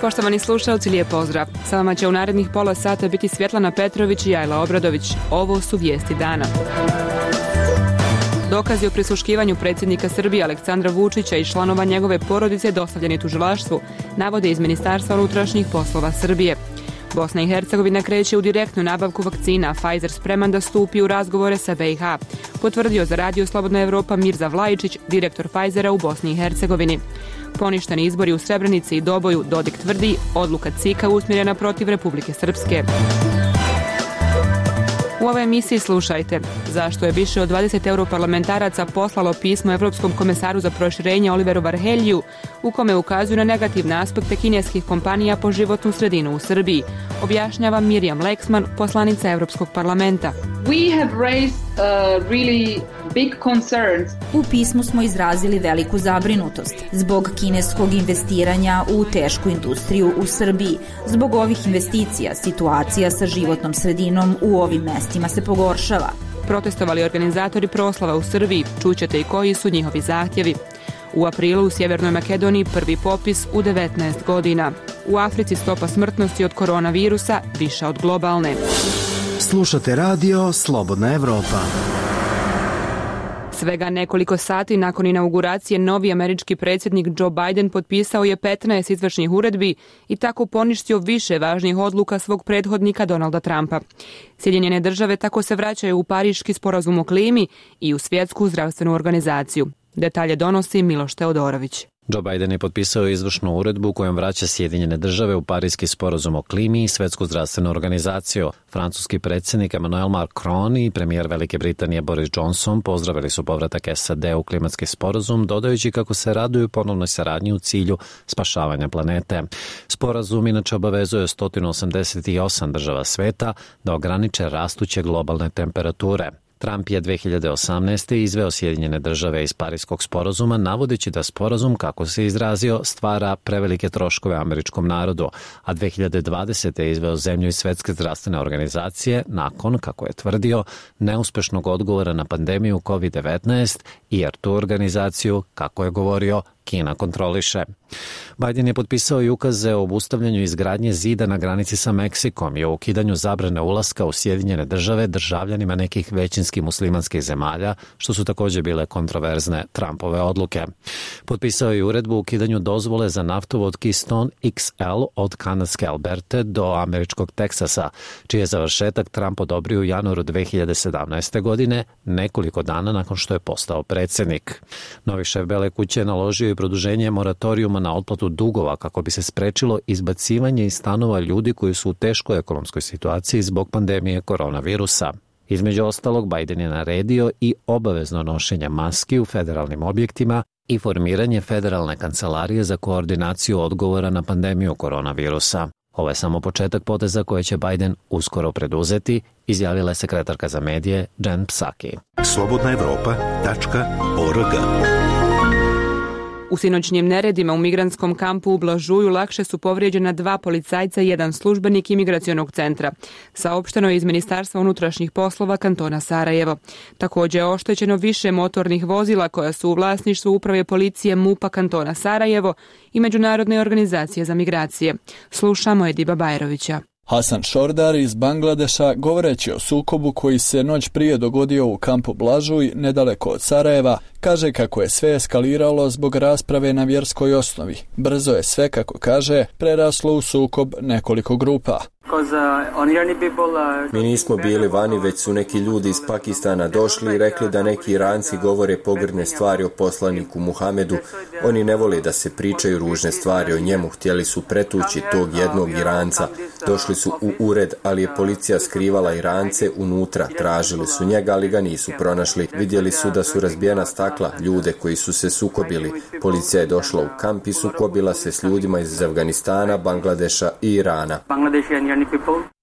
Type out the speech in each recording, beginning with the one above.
Poštovani slušalci, lijep pozdrav. Sa vama će u narednih pola sata biti Svjetlana Petrović i Ajla Obradović. Ovo su vijesti dana. Dokazi o prisluškivanju predsjednika Srbije Aleksandra Vučića i članova njegove porodice dostavljeni tužilaštvu, navode iz Ministarstva unutrašnjih poslova Srbije. Bosna i Hercegovina kreće u direktnu nabavku vakcina, Pfizer spreman da stupi u razgovore sa BiH, potvrdio za Radio Slobodna Evropa Mirza Vlajičić, direktor Pfizera u Bosni i Hercegovini. Poništeni izbori u Srebrenici i Doboju, Dodik tvrdi, odluka CIK-a usmjerena protiv Republike Srpske. U ovoj emisiji slušajte zašto je više od 20 europarlamentaraca poslalo pismo Evropskom komesaru za proširenje Oliveru Varheljiju u kome ukazuju na negativne aspekte kineskih kompanija po životnu sredinu u Srbiji. Objašnjava Mirjam Leksman, poslanica Evropskog parlamenta. U pismu smo izrazili veliku zabrinutost zbog kineskog investiranja u tešku industriju u Srbiji. Zbog ovih investicija situacija sa životnom sredinom u ovim mestima se pogoršava. Protestovali organizatori proslava u Srbiji, čućete i koji su njihovi zahtjevi. U aprilu u Sjevernoj Makedoniji prvi popis u 19 godina. U Africi stopa smrtnosti od koronavirusa viša od globalne. Slušate radio Slobodna Evropa. Svega nekoliko sati nakon inauguracije novi američki predsjednik Joe Biden potpisao je 15 izvršnih uredbi i tako poništio više važnih odluka svog prethodnika Donalda Trumpa. Sjedinjene države tako se vraćaju u Pariški sporazum o klimi i u Svjetsku zdravstvenu organizaciju. Detalje donosi Miloš Teodorović. Joe Biden je potpisao izvršnu uredbu kojom vraća Sjedinjene države u Pariški sporazum o klimi i Svjetsku zdravstvenu organizaciju. Francuski predsjednik Emmanuel Macron i premijer Velike Britanije Boris Johnson pozdravili su povratak SAD u klimatski sporazum, dodajući kako se raduju ponovnoj saradnji u cilju spašavanja planete. Sporazum inače obavezuje 188 država sveta da ograniče rastuće globalne temperature. Trump je 2018. izveo Sjedinjene države iz Pariškog sporazuma, navodeći da sporazum, kako se izrazio, stvara prevelike troškove američkom narodu, a 2020. je izveo zemlju iz Svjetske zdravstvene organizacije nakon, kako je tvrdio, neuspešnog odgovora na pandemiju COVID-19 jer tu organizaciju, kako je govorio, Kina kontroliše. Biden je potpisao i ukaze o obustavljanju izgradnje zida na granici sa Meksikom i o ukidanju zabrane ulaska u Sjedinjene države državljanima nekih većinski muslimanskih zemalja, što su također bile kontroverzne Trumpove odluke. Potpisao je i uredbu o ukidanju dozvole za naftovod Keystone XL od kanadske Alberte do američkog Teksasa, čiji je završetak Trump odobrio u januaru 2017. godine, nekoliko dana nakon što je postao predsjednik. Novi šef Bele kuće je naložio i produženje moratorijuma na otplatu dugova kako bi se sprečilo izbacivanje iz stanova ljudi koji su u teškoj ekonomskoj situaciji zbog pandemije koronavirusa. Između ostalog, Biden je naredio i obavezno nošenje maski u federalnim objektima i formiranje federalne kancelarije za koordinaciju odgovora na pandemiju koronavirusa. Ovo je samo početak poteza koje će Biden uskoro preduzeti, izjavila je sekretarka za medije Jen Psaki. slobodnaevropa.org. U sinoćnjim neredima u migrantskom kampu u Blažuju lakše su povrijeđena 2 policajca i 1 službenik imigracionog centra. Saopšteno je iz Ministarstva unutrašnjih poslova kantona Sarajevo. Također je oštećeno više motornih vozila koja su u vlasništvu uprave policije MUP-a kantona Sarajevo i Međunarodne organizacije za migracije. Slušamo Ediba Bajrovića. Hasan Šordar iz Bangladeša, govoreći o sukobu koji se noć prije dogodio u kampu Blažuj, nedaleko od Sarajeva, kaže kako je sve eskaliralo zbog rasprave na vjerskoj osnovi. Brzo je sve, kako kaže, preraslo u sukob nekoliko grupa. Mi nismo bili vani, već su neki ljudi iz Pakistana došli i rekli da neki Iranci govore pogrdne stvari o poslaniku Muhamedu. Oni ne vole da se pričaju ružne stvari o njemu, htjeli su pretući tog jednog Iranca. Došli su u ured, ali je policija skrivala Irance unutra. Tražili su njega, ali ga nisu pronašli. Vidjeli su da su razbijena stakla, ljude koji su se sukobili. Policija je došla u kamp i sukobila se s ljudima iz Afganistana, Bangladeša i Irana.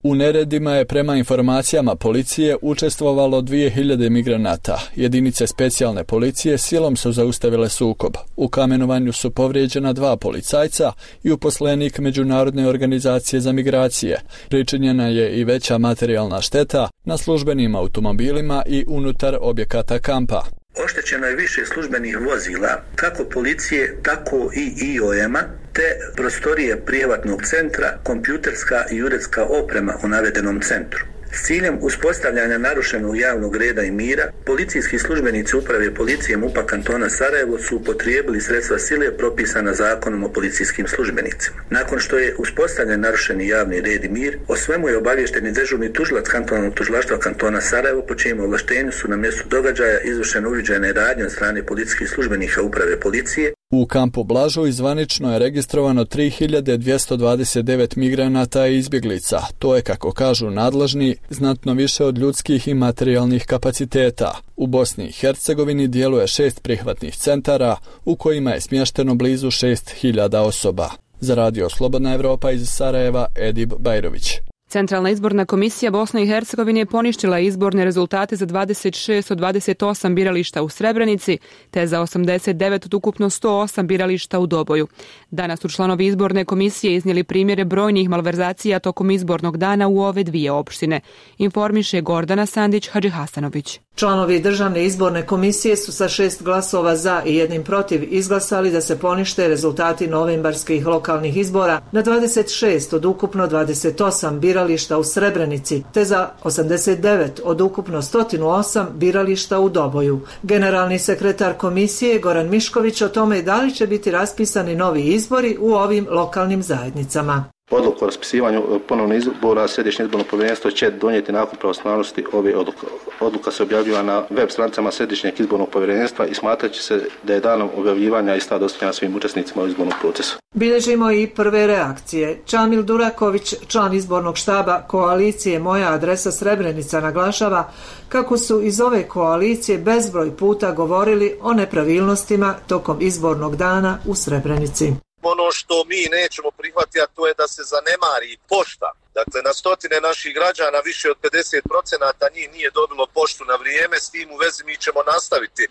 U neredima je prema informacijama policije učestvovalo 2000 migranata. Jedinice specijalne policije silom su zaustavile sukob. U kamenovanju su povrijeđena 2 policajca i uposlenik Međunarodne organizacije za migracije. Pričinjena je i veća materijalna šteta na službenim automobilima i unutar objekata kampa. Oštećeno je više službenih vozila, kako policije, tako i IOM-a, te prostorije prijevatnog centra, kompjuterska i uredska oprema u navedenom centru. S ciljem uspostavljanja narušenog javnog reda i mira, policijski službenici uprave policije MUP-a kantona Sarajevo su upotrijebili sredstva sile propisana zakonom o policijskim službenicima. Nakon što je uspostavljen narušeni javni red i mir, o svemu je obavješteni dežurni tužilac kantonalnog tužilaštva kantona Sarajevo, po čijem ovlaštenju su na mjestu događaja izvršene uviđajne radnje od strane policijskih službenika uprave policije. U kampu Blažuj zvanično je registrovano 3229 migranata i izbjeglica. To je, kako kažu nadležni, znatno više od ljudskih i materijalnih kapaciteta. U Bosni i Hercegovini djeluje 6 prihvatnih centara u kojima je smješteno blizu 6000 osoba. Za Radio Slobodna Evropa iz Sarajeva, Edib Bajrović. Centralna izborna komisija Bosne i Hercegovine je poništila izborne rezultate za 26 od 28 birališta u Srebrenici, te za 89 od ukupno 108 birališta u Doboju. Danas su članovi izborne komisije iznijeli primjere brojnih malverzacija tokom izbornog dana u ove dvije opštine, informiše Gordana Sandić-Hadžihasanović. Članovi državne izborne komisije su sa 6 glasova za i 1 protiv izglasali da se ponište rezultati novembarskih lokalnih izbora na 26 od ukupno 28 birališta u Srebrenici, te za 89 od ukupno 108 birališta u Doboju. Generalni sekretar komisije Goran Mišković o tome da li će biti raspisani novi izbori u ovim lokalnim zajednicama. Odluku o raspisivanju ponovnih izbora Središnje izborno povjerenstvo će donijeti nakon pravosnažnosti ove odluke. Odluka se objavljiva na web stranicama Središnjeg izbornog povjerenstva i smatrat će se da je danom objavljivanja ista dostavljena svim učesnicima u izbornom procesu. Bilježimo i prve reakcije. Čamil Duraković, član izbornog štaba koalicije Moja adresa Srebrenica, naglašava kako su iz ove koalicije bezbroj puta govorili o nepravilnostima tokom izbornog dana u Srebrenici. Ono što mi nećemo prihvatiti, a to je da se zanemari pošta. Dakle, na stotine naših građana, više od 50% njih nije dobilo poštu na vrijeme. S tim u vezi mi ćemo nastaviti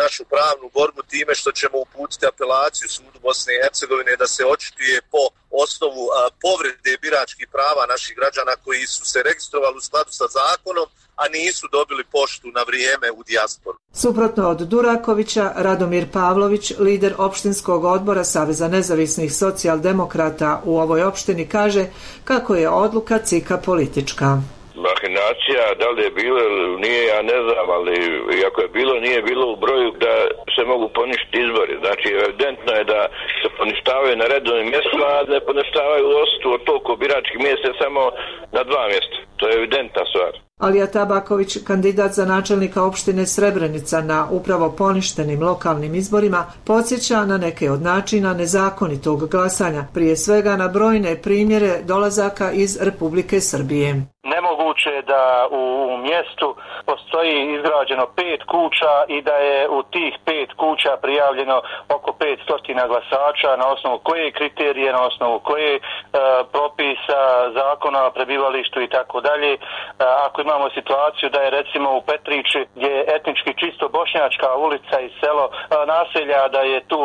našu pravnu borbu time što ćemo uputiti apelaciju sudu Bosne i Hercegovine da se očituje po osnovu povrede biračkih prava naših građana koji su se registrovali u skladu sa zakonom, a nisu dobili poštu na vrijeme u dijasporu. Suprotno od Durakovića, Radomir Pavlović, lider opštinskog odbora Saveza nezavisnih socijaldemokrata u ovoj opštini, kaže kako je odluka CIK-a politička. Mahinacija, da li je bilo ili nije, ja ne znam, ali ako je bilo, nije bilo u broju da se mogu poništiti izbori. Znači, evidentno je da se poništavaju na redovnim mjestima, a ne poništavaju odsustvo od toliko biračkih mjesta samo na 2 mjesta. To je evidentna stvar. Alija Tabaković, kandidat za načelnika opštine Srebrenica na upravo poništenim lokalnim izborima, podsjeća na neke od načina nezakonitog glasanja, prije svega na brojne primjere dolazaka iz Republike Srbije. Nemoguće je da u mjestu postoji izgrađeno 5 kuća i da je u tih 5 kuća prijavljeno oko 500 glasača, na osnovu koje kriterije, na osnovu koje propisa, zakona o prebivalištu i tako dalje. Ako imamo situaciju da je recimo u Petrići, gdje je etnički čisto bošnjačka ulica i selo naselja, da je tu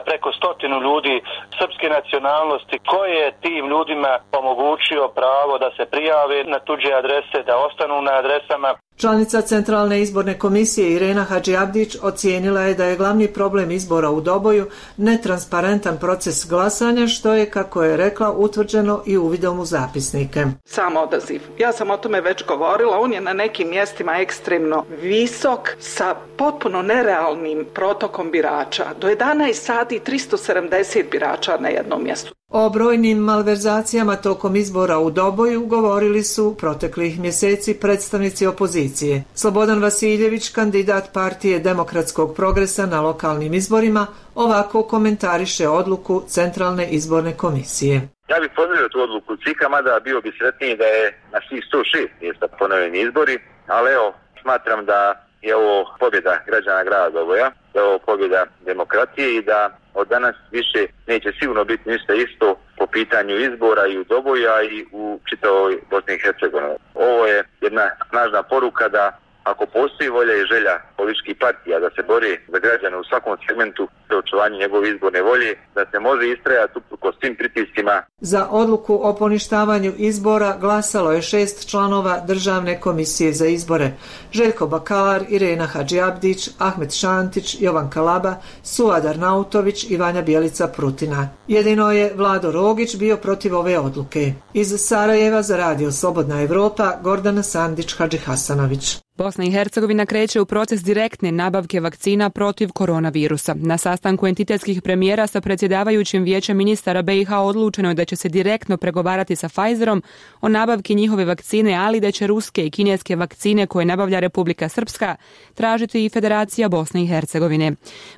preko 100 ljudi srpske nacionalnosti, ko je tim ljudima omogućio pravo da se prijave na tuđe adrese, da ostanu na adresama. Članica Centralne izborne komisije Irena Hadžiabdić ocijenila je da je glavni problem izbora u Doboju netransparentan proces glasanja, što je, kako je rekla, utvrđeno i uvidom u zapisnike. Sam odaziv. Ja sam o tome već govorila, on je na nekim mjestima ekstremno visok sa potpuno nerealnim protokom birača. Do 11 sati 370 birača na jednom mjestu. O brojnim malverzacijama tokom izbora u Doboju govorili su proteklih mjeseci predstavnici opozicije. Slobodan Vasiljević, kandidat partije Demokratskog progresa na lokalnim izborima, ovako komentariše odluku Centralne izborne komisije. Ja bih pozdravio tu odluku CIK-a, mada bio bi sretniji da je na svih 106 mjesta ponovljeni izbori, ali evo, smatram da je ovo pobjeda građana grada Doboja, da je ovo pobjeda demokratije i da od danas više neće sigurno biti ništa isto po pitanju izbora i u Doboju, i u čitavoj Bosni i Hercegovini. Ovo je jedna snažna poruka da ako postoji volja i želja političkih partija da se bori za građane u svakom segmentu za očuvanje njegove izborne volje, da se može istrajati uprkos svim pritiscima. Za odluku o poništavanju izbora glasalo je 6 članova Državne komisije za izbore: Željko Bakalar, Irena Hadžiabdić, Ahmet Šantić, Jovan Kalaba, Suad Arnautović i Vanja Bjelica Prutina. Jedino je Vlado Rogić bio protiv ove odluke. Iz Sarajeva za Radio Slobodna Evropa, Gordana Sandić-Hadžihasanović. Bosna i Hercegovina kreće u proces direktne nabavke vakcina protiv koronavirusa. Na sastanku entitetskih premijera sa predsjedavajućim vijećem ministara BiH odlučeno je da će se direktno pregovarati sa Pfizerom o nabavki njihove vakcine, ali da će ruske i kineske vakcine koje nabavlja Republika Srpska tražiti i Federacija Bosne i Hercegovine.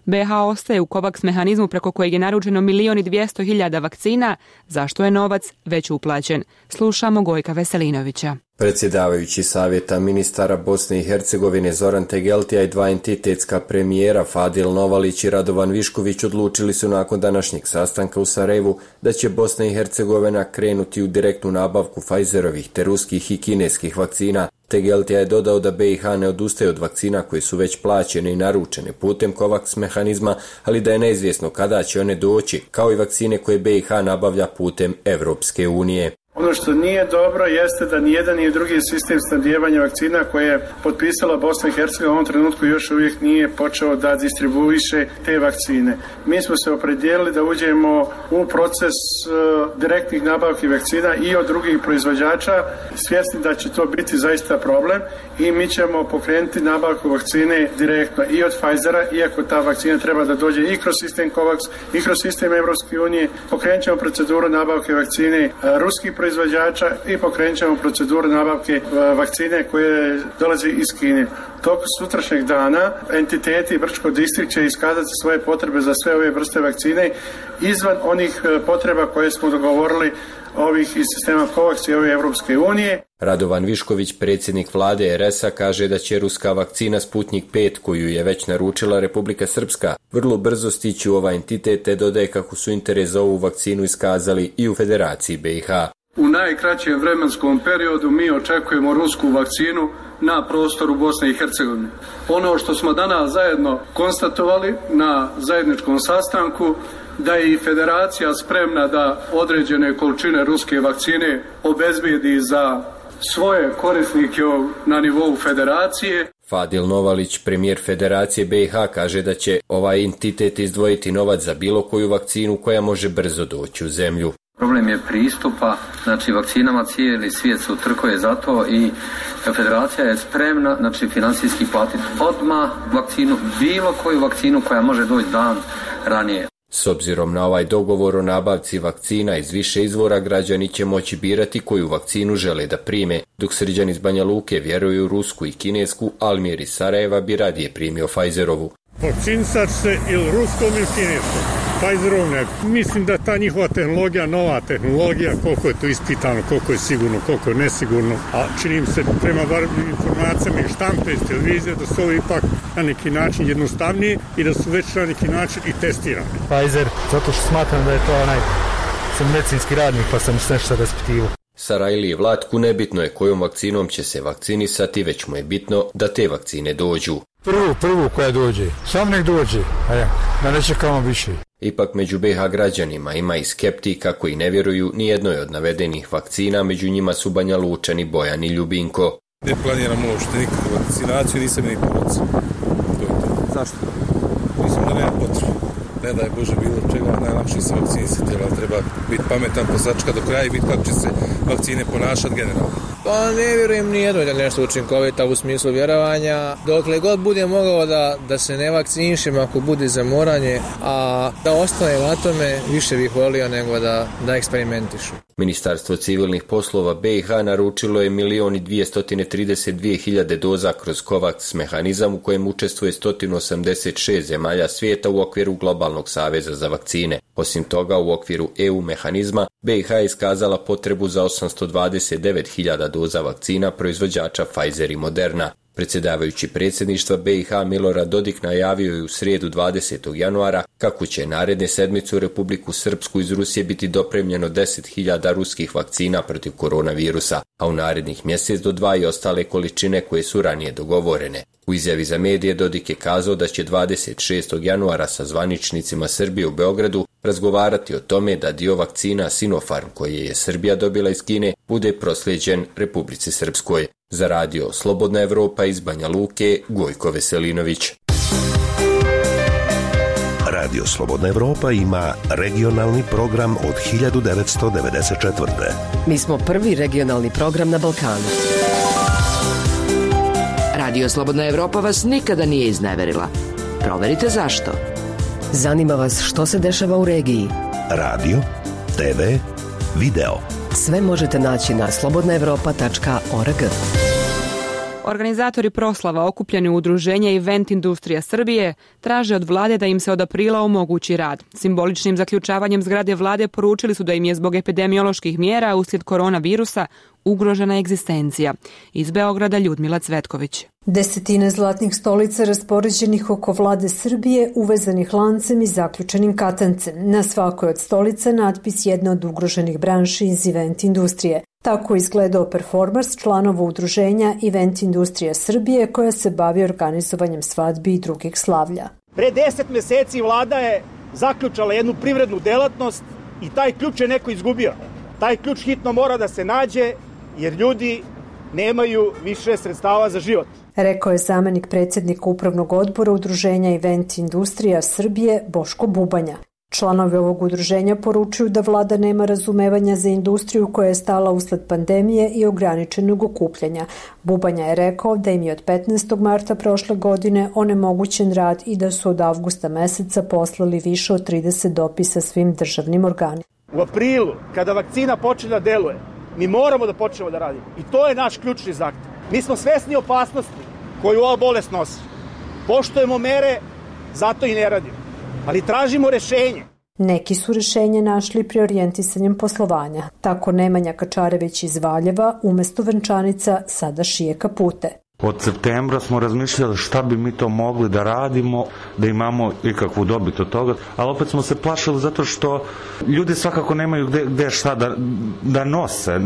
BiH ostaje u COVAX mehanizmu preko kojeg je naručeno 1.200.000 vakcina, zašto je novac već uplaćen. Slušamo Gojka Veselinovića. Predsjedavajući savjeta ministara Bosne i Hercegovine Zoran Tegeltija i dva entitetska premijera Fadil Novalić i Radovan Višković odlučili su nakon današnjeg sastanka u Sarajevu da će Bosna i Hercegovina krenuti u direktnu nabavku Pfizerovih te ruskih i kineskih vakcina. Tegeltija je dodao da BiH ne odustaje od vakcina koje su već plaćene i naručene putem COVAX mehanizma, ali da je neizvjesno kada će one doći, kao i vakcine koje BiH nabavlja putem Evropske unije. Ono što nije dobro jeste da nijedan ni drugi sistem snabdijevanja vakcina koje je potpisala Bosna i Hercegovina u ovom trenutku još uvijek nije počeo da distribuiše te vakcine. Mi smo se opredijelili da uđemo u proces direktnih nabavki vakcina i od drugih proizvođača, svjesni da će to biti zaista problem, i mi ćemo pokrenuti nabavku vakcine direktno i od Pfizera, iako ta vakcina treba da dođe i kroz sistem COVAX i kroz sistem Evropske unije. Pokrenut ćemo proceduru nabavke vakcine ruskih proizvođača i pokrenut ćemo proceduru nabavke vakcine koje dolazi iz Kine. Tokom sutrašnjeg dana entiteti Brčko distrikt će iskazati svoje potrebe za sve ove vrste vakcine izvan onih potreba koje smo dogovorili ovih iz sistema COVAX i ove Evropske unije. Radovan Višković, predsjednik vlade RS-a, kaže da će ruska vakcina Sputnik 5, koju je već naručila Republika Srpska, vrlo brzo stići u ovaj entitet, te dodaje kako su interes za ovu vakcinu iskazali i u Federaciji BiH. U najkraćem vremenskom periodu mi očekujemo rusku vakcinu na prostoru Bosne i Hercegovine. Ono što smo danas zajedno konstatovali na zajedničkom sastanku, da je i Federacija spremna da određene količine ruske vakcine obezbijedi za svoje korisnike na nivou Federacije. Fadil Novalić, premijer Federacije BiH, kaže da će ovaj entitet izdvojiti novac za bilo koju vakcinu koja može brzo doći u zemlju. Problem je pristupa, znači vakcinama, cijeli svijet se utrkuje za to i Federacija je spremna, znači financijski platiti odmah vakcinu, bilo koju vakcinu koja može doći dan ranije. S obzirom na ovaj dogovor o nabavci vakcina iz više izvora, građani će moći birati koju vakcinu žele da prime, dok Srđan iz Banja Luke vjeruju u rusku i kinesku, Almir iz Sarajeva bi radije primio Pfizerovu. Vakcinisat se ili ruskom ili kineskom. Pfizerom ne. Mislim da ta njihova tehnologija, nova tehnologija, koliko je to ispitano, koliko je sigurno, koliko je nesigurno, a čini mi se prema informacijama i štampe iz televizije da su ovo ipak na neki način jednostavniji i da su već na neki način i testirani. Pfizer, zato što smatram da je to sam medicinski radnik pa sam nešto raspitivo. Sarajliji Vlatku nebitno je kojom vakcinom će se vakcinisati, već mu je bitno da te vakcine dođu. Prvu koja dođe, sam nek dođe, da ne čekamo više. Ipak među BiH građanima ima i skeptika koji ne vjeruju ni jednoj od navedenih vakcina, među njima su Banja Lučani, Bojan i Ljubinko. Ne planiramo uopšte nikakvu vakcinaciju, nisam ni porodca. Zašto? Mislim da nema potrebe. Ne daj Bože bilo čega, najlakše se vakcinisati, ali treba biti pametan, posačka do kraja i biti kako će se vakcine ponašati generalno. Pa ne vjerujem ni jedno da nešto učinkovita u smislu vjerovanja. Dokle god bude mogao da se ne vakcinišem ako bude zamoranje, a da ostane na tome, više bih volio nego da eksperimentišu. Ministarstvo civilnih poslova BiH naručilo je 1.232.000 doza kroz COVAX mehanizam u kojem učestvuje 186 zemalja svijeta u okviru Globalnog saveza za vakcine. Osim toga, u okviru EU mehanizma, BiH je iskazala potrebu za 829.000 doza vakcina proizvođača Pfizer i Moderna. Predsjedavajući predsjedništva BiH Milorad Dodik najavio je u srijedu 20. januara kako će naredne sedmice u Republiku Srpsku iz Rusije biti dopremljeno 10.000 ruskih vakcina protiv koronavirusa, a u narednih mjesec do 2 i ostale količine koje su ranije dogovorene. U izjavi za medije Dodik je kazao da će 26. januara sa zvaničnicima Srbije u Beogradu razgovarati o tome da dio vakcina Sinopharm koje je Srbija dobila iz Kine bude proslijeđen Republici Srpskoj. Za radio Slobodna Evropa iz Banja Luke, Gojko Veselinović. Radio Slobodna Evropa ima regionalni program od 1994. Mi smo prvi regionalni program na Balkanu. Radio Slobodna Evropa vas nikada nije izneverila. Proverite zašto. Zanima vas što se dešava u regiji. Radio, TV, video. Sve možete naći na slobodnaevropa.org. Organizatori proslava okupljeni u udruženje Event Industrija Srbije traže od vlade da im se od aprila omogući rad. Simboličnim zaključavanjem zgrade vlade poručili su da im je zbog epidemioloških mjera uslijed koronavirusa ugrožena egzistencija. Iz Beograda Ljudmila Cvetković. Desetine zlatnih stolica raspoređenih oko vlade Srbije, uvezanih lancem i zaključenim katancem. Na svakoj od stolica natpis jedne od ugroženih branši iz event industrije. Tako izgledao performans članova udruženja Event Industrija Srbije koja se bavi organizovanjem svadbi i drugih slavlja. Pre 10 meseci vlada je zaključala jednu privrednu delatnost i taj ključ je neko izgubio. Taj ključ hitno mora da se nađe jer ljudi nemaju više sredstava za život. Rekao je zamenik predsjednika upravnog odbora udruženja Event Industrija Srbije Boško Bubanja. Članovi ovog udruženja poručuju da vlada nema razumevanja za industriju koja je stala usled pandemije i ograničenog okupljanja. Bubanja je rekao da im je od 15. marta prošle godine onemogućen rad i da su od avgusta meseca poslali više od 30 dopisa svim državnim organima. U aprilu, kada vakcina počne da deluje, mi moramo da počnemo da radimo. I to je naš ključni zahtev. Mi smo svesni opasnosti koju ova bolest nosi. Poštujemo mere, zato i ne radimo. Ali tražimo rešenje. Neki su rešenje našli pri orijentisanjem poslovanja. Tako Nemanja Kačarević iz Valjeva umjesto venčanica sada šije kapute. Od septembra smo razmišljali šta bi mi to mogli da radimo, da imamo ikakvu dobit od toga, ali opet smo se plašili zato što ljudi svakako nemaju gde šta da nose.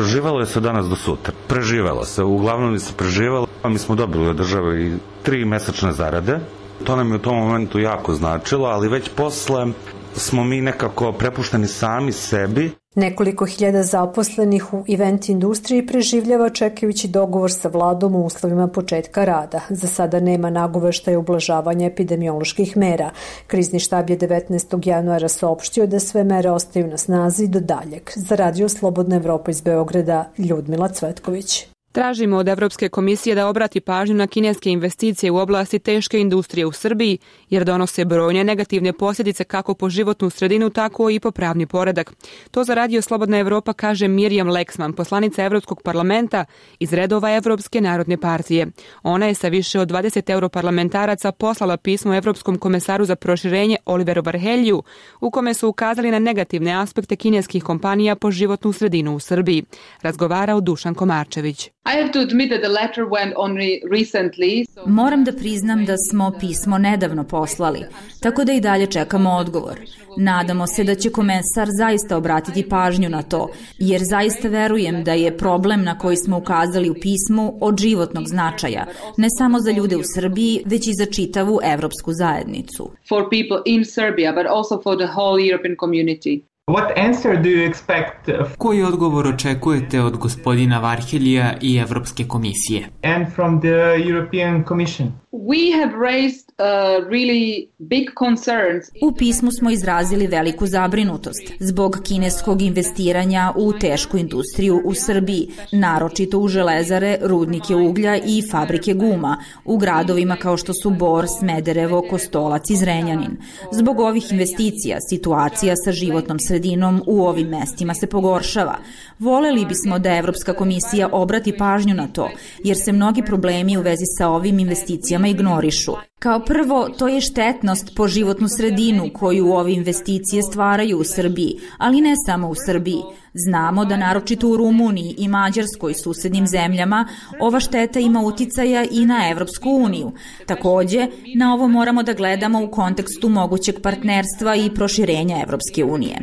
Živelo se danas do sutra. Preživelo se, uglavnom se preživelo. Mi smo dobili od države i 3 mesečne zarade. To nam je u tom momentu jako značilo, ali već posle smo mi nekako prepušteni sami sebi. Nekoliko hiljada zaposlenih u event industriji preživljava čekajući dogovor sa vladom u uslovima početka rada. Za sada nema nagoveštaja ublažavanja epidemioloških mera. Krizni štab je 19. januara saopštio da sve mere ostaju na snazi do daljeg. Za radio Slobodna Evropa iz Beograda, Ljudmila Cvetković. Tražimo od Evropske komisije da obrati pažnju na kineske investicije u oblasti teške industrije u Srbiji, jer donose brojne negativne posljedice kako po životnu sredinu, tako i po pravni poredak. To za radio Slobodna Evropa kaže Mirjam Leksman, poslanica Evropskog parlamenta iz redova Evropske narodne partije. Ona je sa više od 20 europarlamentaraca poslala pismo Evropskom komesaru za proširenje Oliveru Varheljiju, u kome su ukazali na negativne aspekte kineskih kompanija po životnu sredinu u Srbiji. Razgovarao Dušan Komarčević. Moram da priznam da smo pismo nedavno poslali, tako da i dalje čekamo odgovor. Nadamo se da će komesar zaista obratiti pažnju na to, jer zaista verujem da je problem na koji smo ukazali u pismu od životnog značaja, ne samo za ljude u Srbiji, već i za čitavu evropsku zajednicu. Koji odgovor očekujete od gospodina Varheljija i Evropske komisije? U pismu smo izrazili veliku zabrinutost zbog kineskog investiranja u tešku industriju u Srbiji, naročito u železare, rudnike uglja i fabrike guma, u gradovima kao što su Bor, Smederevo, Kostolac i Zrenjanin. Zbog ovih investicija, situacija sa životnom sredinom u ovim mestima se pogoršava. Voleli bismo da Evropska komisija obrati pažnju na to, jer se mnogi problemi u vezi sa ovim investicijama ignorišu. Kao prvo, to je štetnost po životnu sredinu koju ove investicije stvaraju u Srbiji, ali ne samo u Srbiji. Znamo da naročito u Rumuniji i Mađarskoj, susednim zemljama, ova šteta ima uticaja i na Evropsku uniju. Takođe, na ovo moramo da gledamo u kontekstu mogućeg partnerstva i proširenja Evropske unije.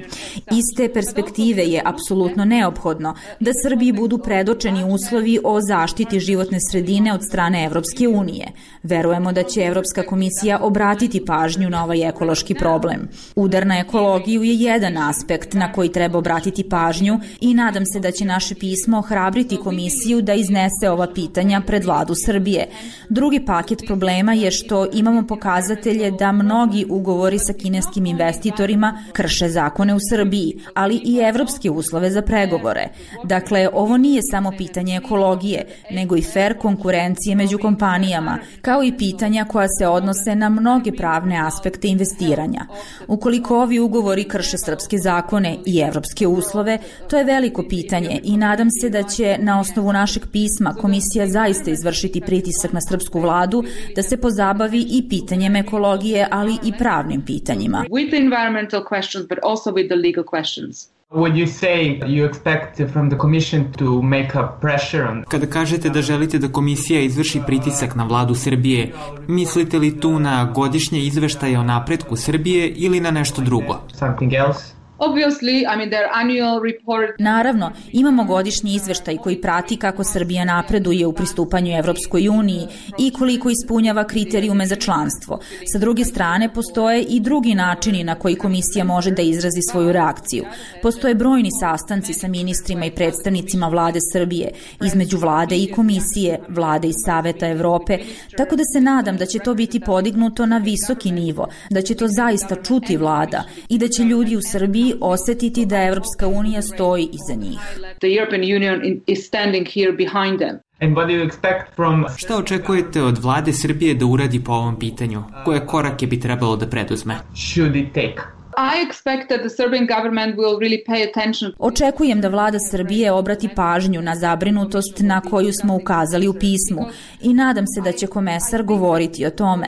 Iz te perspektive je apsolutno neophodno da Srbiji budu predočeni uslovi o zaštiti životne sredine od strane Evropske unije. Verujemo da će Evropska komisija obratiti pažnju na ovaj ekološki problem. Udar na ekologiju je jedan aspekt na koji treba obratiti pažnju i nadam se da će naše pismo ohrabriti komisiju da iznese ova pitanja pred vladu Srbije. Drugi paket problema je što imamo pokazatelje da mnogi ugovori sa kineskim investitorima krše zakone u Srbiji, ali i evropske uslove za pregovore. Dakle, ovo nije samo pitanje ekologije, nego i fer konkurencije među kompanijama, kao i pitanja koja se odnose na mnoge pravne aspekte investiranja. Ukoliko ovi ugovori krše srpske zakone i evropske uslove, to je veliko pitanje i nadam se da će na osnovu našeg pisma komisija zaista izvršiti pritisak na srpsku vladu da se pozabavi i pitanjem ekologije, ali i pravnim pitanjima. With the environmental questions, but also with the legal questions. Would you say you expect from the commission to make a pressure on... Kada kažete da želite da komisija izvrši pritisak na vladu Srbije, mislite li tu na godišnje izveštaje o napretku Srbije ili na nešto drugo? Something else? Obviously, I mean, their annual report... Naravno, imamo godišnji izveštaj koji prati kako Srbija napreduje u pristupanju Evropskoj uniji i koliko ispunjava kriterijume za članstvo. Sa druge strane, postoje i drugi načini na koji komisija može da izrazi svoju reakciju. Postoje brojni sastanci sa ministrima i predstavnicima vlade Srbije, između vlade i komisije, vlade i Saveta Evrope, tako da se nadam da će to biti podignuto na visoki nivo, da će to zaista čuti vlada i da će ljudi u Srbiji osetiti da Evropska unija stoji iza njih. The European Union is standing here behind them. And what do you expect from... Šta očekujete od vlade Srbije da uradi po ovom pitanju? Koje korake bi trebalo da preduzme? Should it take? I expect that the Serbian government will really pay attention. Očekujem da vlada Srbije obrati pažnju na zabrinutost na koju smo ukazali u pismu i nadam se da će komesar govoriti o tome.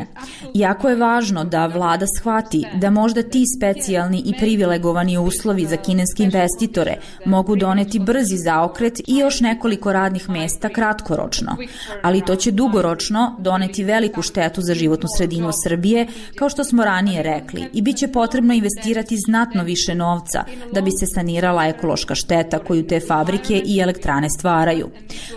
Jako je važno da vlada shvati da možda ti specijalni i privilegovani uslovi za kineske investitore mogu doneti brzi zaokret i još nekoliko radnih mesta kratkoročno, ali to će dugoročno doneti veliku štetu za životnu sredinu Srbije, kao što smo ranije rekli, i bit će potrebno investirati znatno više novca da bi se sanirala ekološka šteta koju te fabrike i elektrane stvaraju.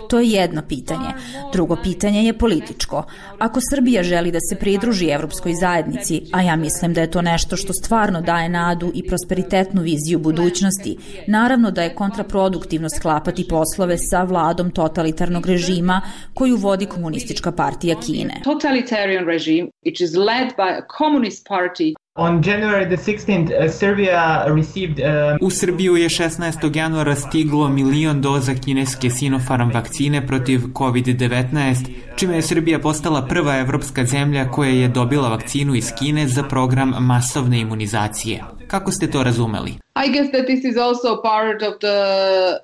To je jedno pitanje. Drugo pitanje je političko. Ako Srbija želi da se pridruži Evropskoj zajednici, a ja mislim da je to nešto što stvarno daje nadu i prosperitetnu viziju budućnosti, naravno da je kontraproduktivno sklapati poslove sa vladom totalitarnog režima koju vodi Komunistička partija Kine. Totalitarian regime, which is led by a communist party. On January the 16th, Serbia received... U Srbiju je 16. januara stiglo 1 milion doza kineske Sinopharm vakcine protiv COVID-19, čime je Srbija postala prva evropska zemlja koja je dobila vakcinu iz Kine za program masovne imunizacije. Kako ste to razumeli? I guess that this is also part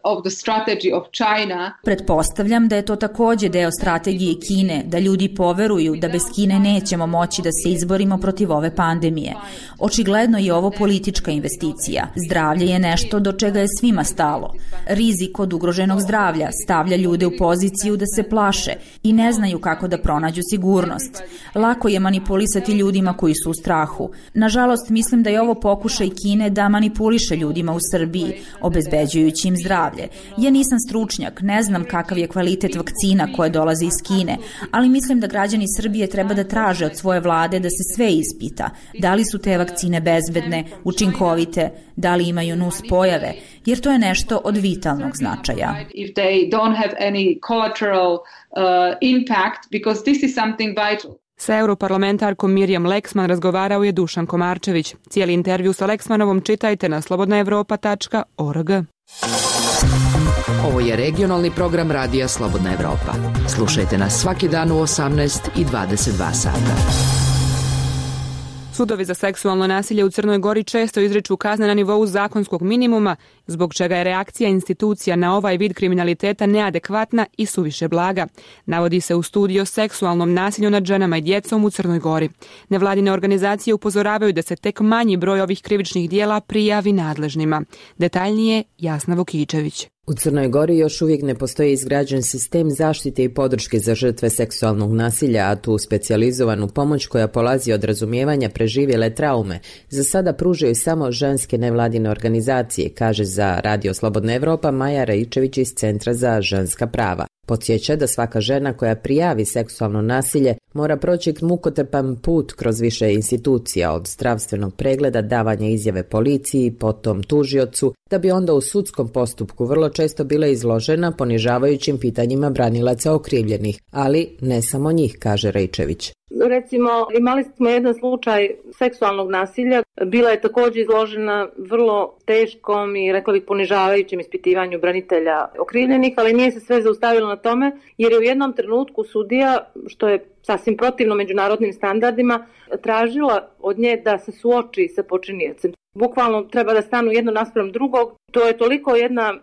of the strategy of China. Pretpostavljam da je to takođe deo strategije Kine, da ljudi poveruju da bez Kine nećemo moći da se izborimo protiv ove pandemije. Očigledno je ovo politička investicija. Zdravlje je nešto do čega je svima stalo. Rizik od ugroženog zdravlja stavlja ljude u poziciju da se plaše i ne znaju kako da pronađu sigurnost. Lako je manipulisati ljudima koji su u strahu. Nažalost, mislim da je ovo pokušaj Kine da manipuliše ljudima u Srbiji, obezbeđujući im zdravlje. Ja nisam stručnjak, ne znam kakav je kvalitet vakcina koje dolaze iz Kine, ali mislim da građani Srbije treba da traže od svoje vlade da se sve ispita. Da li su te vakcine bezbedne, učinkovite, da li imaju nus pojave, jer to je nešto od vitalnog značaja. If they don't have any collateral impact, because this is something vital. Sa europarlamentarkom Mirjam Leksman razgovarao je Dušan Komarčević. Cijeli intervju sa Leksmanovom čitajte na slobodnaevropa.org. Ovo je regionalni program Radija Slobodna Evropa. Slušajte nas svaki dan u 18 i 22 sata. Sudovi za seksualno nasilje u Crnoj Gori često izriču kazne na nivou zakonskog minimuma, zbog čega je reakcija institucija na ovaj vid kriminaliteta neadekvatna i suviše blaga. Navodi se u studiji o seksualnom nasilju nad ženama i djecom u Crnoj Gori. Nevladine organizacije upozoravaju da se tek manji broj ovih krivičnih dijela prijavi nadležnima. Detaljnije Jasna Vukičević. U Crnoj Gori još uvijek ne postoji izgrađen sistem zaštite i podrške za žrtve seksualnog nasilja, a tu specijalizovanu pomoć koja polazi od razumijevanja preživjele traume za sada pružaju samo ženske nevladine organizacije, kaže za Radio Slobodna Evropa Maja Raičević iz Centra za ženska prava. Podsjeća da svaka žena koja prijavi seksualno nasilje mora proći mukotrpan put kroz više institucija, od zdravstvenog pregleda, davanja izjave policiji, potom tužiocu, da bi onda u sudskom postupku vrlo često bila izložena ponižavajućim pitanjima branilaca okrivljenih, ali ne samo njih, kaže Raičević. Recimo, imali smo jedan slučaj seksualnog nasilja. Bila je također izložena vrlo teškom i, rekla bih, ponižavajućem ispitivanju branitelja okrivljenih, ali nije se sve zaustavilo na tome, jer je u jednom trenutku sudija, što je sasvim protivno međunarodnim standardima, tražila od nje da se suoči sa počiniocem. Bukvalno treba da stanu jedno naspram drugog. To je toliko jedna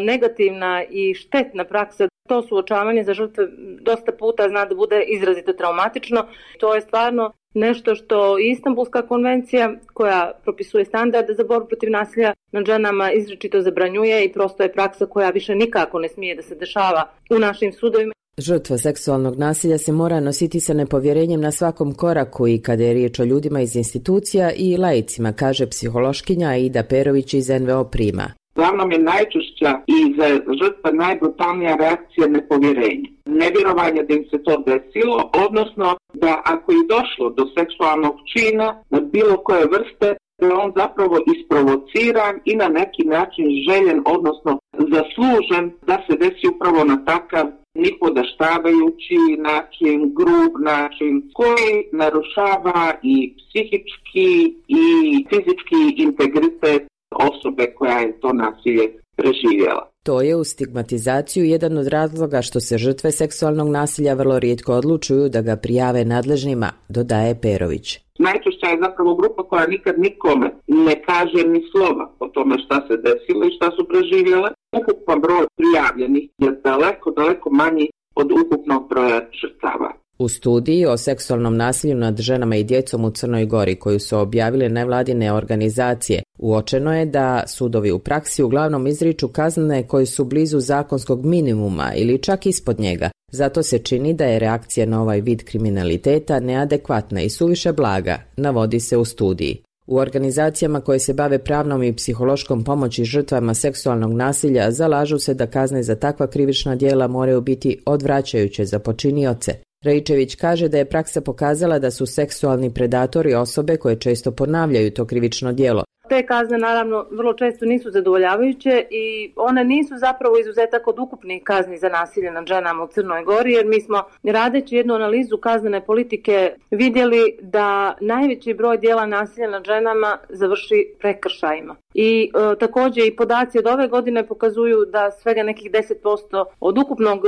negativna i štetna praksa. To suočavanje za žrtve dosta puta zna da bude izrazito traumatično. To je stvarno nešto što i Istanbulska konvencija, koja propisuje standarde za borbu protiv nasilja nad ženama, izričito zabranjuje i prosto je praksa koja više nikako ne smije da se dešava u našim sudovima. Žrtva seksualnog nasilja se mora nositi sa nepovjerenjem na svakom koraku i kada je riječ o ljudima iz institucija i laicima, kaže psihološkinja Aida Perović iz NVO Prima. Uglavnom je najčešća i za žrtva najbrutalnija reakcija nepovjerenja. Nevjerovanje da im se to desilo, odnosno da ako je došlo do seksualnog čina na bilo koje vrste, da je on zapravo isprovociran i na neki način željen, odnosno zaslužen da se desi upravo na takav nipodaštavajući način, grub način, koji narušava i psihički i fizički integritet osobe koja je to nasilje preživjela. To je u stigmatizaciju jedan od razloga što se žrtve seksualnog nasilja vrlo rijetko odlučuju da ga prijave nadležnima, dodaje Perović. Najčešća je zapravo grupa koja nikad nikome ne kaže ni slova o tome šta se desilo i šta su preživjele. Ukupan broj prijavljenih je daleko manji od ukupnog broja žrtava. U studiji o seksualnom nasilju nad ženama i djecom u Crnoj Gori, koju su objavile nevladine organizacije, uočeno je da sudovi u praksi uglavnom izriču kazne koje su blizu zakonskog minimuma ili čak ispod njega. Zato se čini da je reakcija na ovaj vid kriminaliteta neadekvatna i suviše blaga, navodi se u studiji. U organizacijama koje se bave pravnom i psihološkom pomoći žrtvama seksualnog nasilja zalažu se da kazne za takva krivična djela moraju biti odvraćajuće za počinioce. Raičević kaže da je praksa pokazala da su seksualni predatori osobe koje često ponavljaju to krivično djelo. Te kazne naravno vrlo često nisu zadovoljavajuće i one nisu zapravo izuzetak od ukupnih kazni za nasilje nad ženama u Crnoj Gori, jer mi smo, radeći jednu analizu kaznene politike, vidjeli da najveći broj djela nasilja nad ženama završi prekršajima. I također i podaci od ove godine pokazuju da svega nekih 10% od ukupnog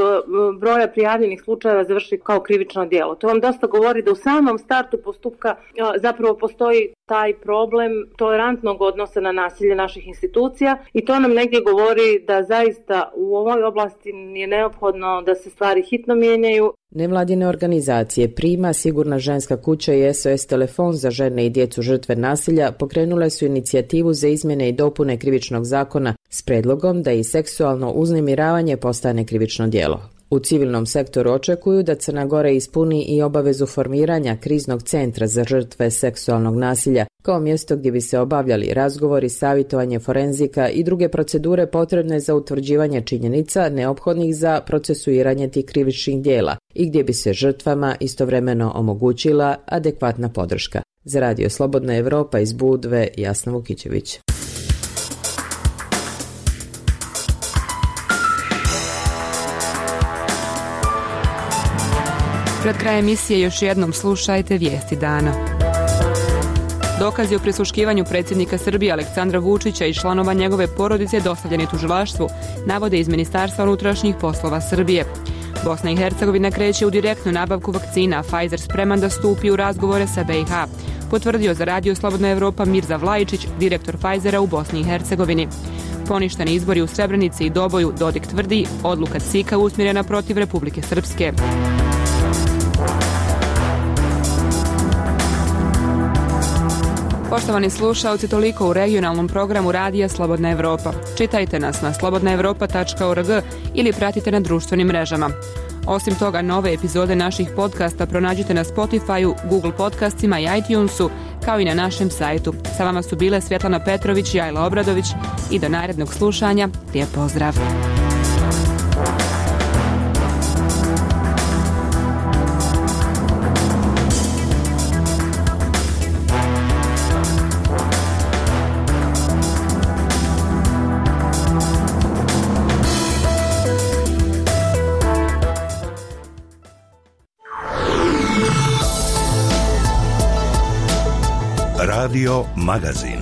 broja prijavljenih slučajeva završi kao krivično djelo. To vam dosta govori da u samom startu postupka zapravo postoji taj problem tolerantnog odnosa na nasilje naših institucija i to nam negdje govori da zaista u ovoj oblasti je neophodno da se stvari hitno mijenjaju. Nevladine organizacije Prima, Sigurna ženska kuća i SOS telefon za žene i djecu žrtve nasilja pokrenule su inicijativu za izmjene i dopune krivičnog zakona s predlogom da i seksualno uznemiravanje postane krivično djelo. U civilnom sektoru očekuju da Crna Gora ispuni i obavezu formiranja kriznog centra za žrtve seksualnog nasilja kao mjesto gdje bi se obavljali razgovori, savjetovanje forenzika i druge procedure potrebne za utvrđivanje činjenica neophodnih za procesuiranje tih krivičnih djela i gdje bi se žrtvama istovremeno omogućila adekvatna podrška. Za Radio Slobodna Evropa iz Budve, Jasna Vukičević. Pred krajem emisije još jednom slušajte vijesti dana. Dokazi o prisluškivanju predsjednika Srbije Aleksandra Vučića i članova njegove porodice dostavljeni tužilaštvu, navode iz Ministarstva unutrašnjih poslova Srbije. Bosna i Hercegovina kreće u direktnu nabavku vakcina, Pfizer spreman da stupi u razgovore sa BiH. potvrdio za Radio Slobodna Evropa Mirza Vlajičić, direktor Pfizera u Bosni i Hercegovini. Poništeni izbori u Srebrenici i Doboju, Dodik tvrdi, odluka CIK-a usmjerena protiv Republike Srpske. Poštovani slušaoci, toliko u regionalnom programu Radija Slobodna Evropa. Čitajte nas na slobodnaevropa.org ili pratite na društvenim mrežama. Osim toga, nove epizode naših podcasta pronađite na Spotify-u, Google podcastima i iTunesu, kao i na našem sajtu. Sa vama su bile Svjetlana Petrović i Ajla Obradović i do narednog slušanja. Lijep pozdrav! Radio Magazin.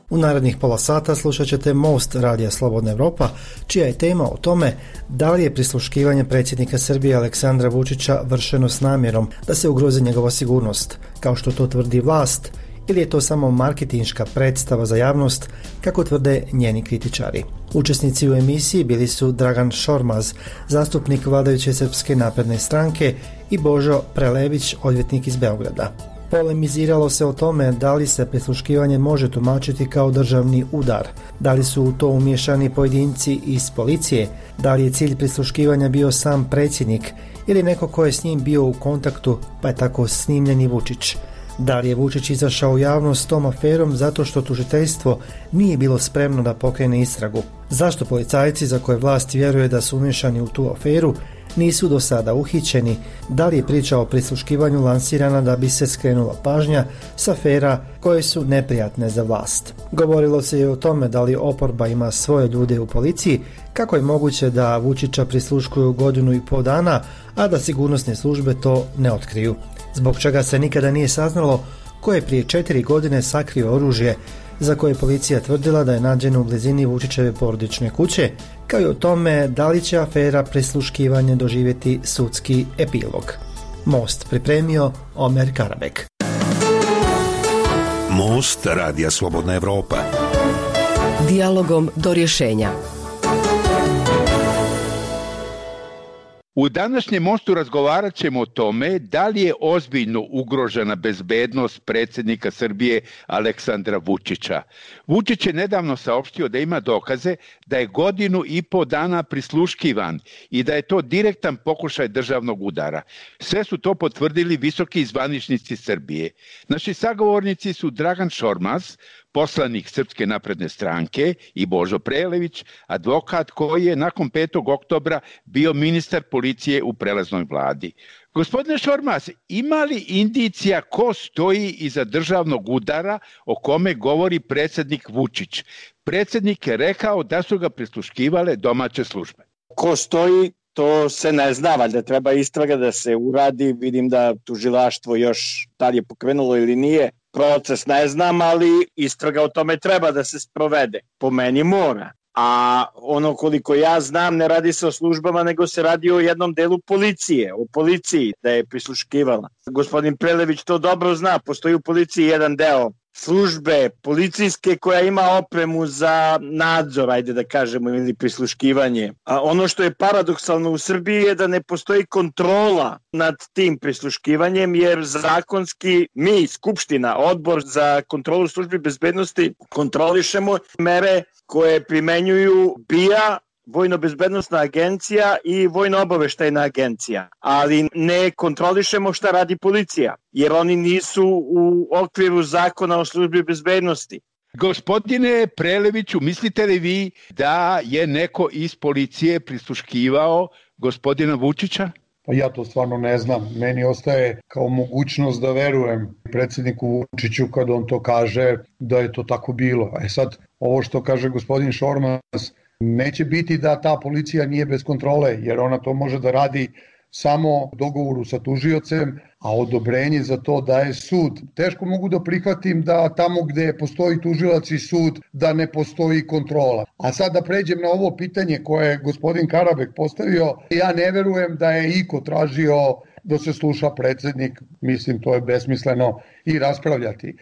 U narednih pola sata slušat ćete Most Radija Slobodna Evropa, čija je tema o tome da li je prisluškivanje predsjednika Srbije Aleksandra Vučića vršeno s namjerom da se ugrozi njegova sigurnost, kao što to tvrdi vlast, ili je to samo marketinška predstava za javnost, kako tvrde njeni kritičari. Učesnici u emisiji bili su Dragan Šormaz, zastupnik vladajuće Srpske napredne stranke, i Božo Prelević, odvjetnik iz Beograda. Polemiziralo se o tome da li se prisluškivanje može tumačiti kao državni udar, da li su u to umiješani pojedinci iz policije, da li je cilj prisluškivanja bio sam predsjednik ili neko ko je s njim bio u kontaktu, pa je tako snimljen i Vučić. Da li je Vučić izašao u javnost s tom aferom zato što tužiteljstvo nije bilo spremno da pokrene istragu? Zašto policajci za koje vlast vjeruje da su umiješani u tu aferu nisu do sada uhićeni? Da li je priča o prisluškivanju lansirana da bi se skrenula pažnja s afera koje su neprijatne za vlast? Govorilo se i o tome da li oporba ima svoje ljude u policiji, kako je moguće da Vučića prisluškuju 1,5 godina, a da sigurnosne službe to ne otkriju. Zbog čega se nikada nije saznalo ko je prije 4 godine sakrio oružje za koje je policija tvrdila da je nađeno u blizini Vučićeve porodične kuće, kao i o tome da li će afera prisluškivanje doživjeti sudski epilog. Most pripremio Omer Karabek. Most Radija Slobodna Evropa. Dijalogom do rješenja. U današnjem mostu razgovarat ćemo o tome da li je ozbiljno ugrožena bezbednost predsjednika Srbije Aleksandra Vučića. Vučić je nedavno saopštio da ima dokaze da je 1,5 dana prisluškivan i da je to direktan pokušaj državnog udara. Sve su to potvrdili visoki zvaničnici Srbije. Naši sagovornici su Dragan Šormaz, poslanik Srpske napredne stranke, i Božo Prelević, advokat koji je nakon 5. oktobra bio ministar policije u prelaznoj vladi. Gospodine Šormaz, ima li indicija ko stoji iza državnog udara o kome govori predsjednik Vučić? Predsjednik je rekao da su ga prisluškivale domaće službe. Ko stoji, to se ne zna, valjda treba istraga da se uradi. Vidim da tužilaštvo još da li je pokrenulo ili nije. Proces ne znam, ali istraga o tome treba da se sprovede. Po meni mora. A ono koliko ja znam, ne radi se o službama, nego se radi o jednom delu policije, o policiji da je prisluškivala. Gospodin Prelević to dobro zna, postoji u policiji jedan deo službe policijske koja ima opremu za nadzor, ajde da kažemo, ili prisluškivanje. A ono što je paradoksalno u Srbiji je da ne postoji kontrola nad tim prisluškivanjem, jer zakonski mi, Skupština, Odbor za kontrolu službi bezbednosti, kontrolišemo mere koje primenjuju BIA, Vojno-bezbednostna agencija i Vojno-obaveštajna agencija, ali ne kontrolišemo šta radi policija, jer oni nisu u okviru zakona o službi bezbednosti. Gospodine Preleviću, mislite li vi da je neko iz policije prisluškivao gospodina Vučića? Pa ja to stvarno ne znam. Meni ostaje kao mogućnost da verujem predsjedniku Vučiću kad on to kaže da je to tako bilo. A sad, ovo što kaže gospodin Šormaz, neće biti da ta policija nije bez kontrole, jer ona to može da radi samo dogovoru sa tužiocem, a odobrenje za to daje sud. Teško mogu da prihvatim da tamo gde postoji tužilac i sud, da ne postoji kontrola. A sad da pređem na ovo pitanje koje je gospodin Karabek postavio, ja ne verujem da je iko tražio da se sluša predsednik, mislim to je besmisleno i raspravljati.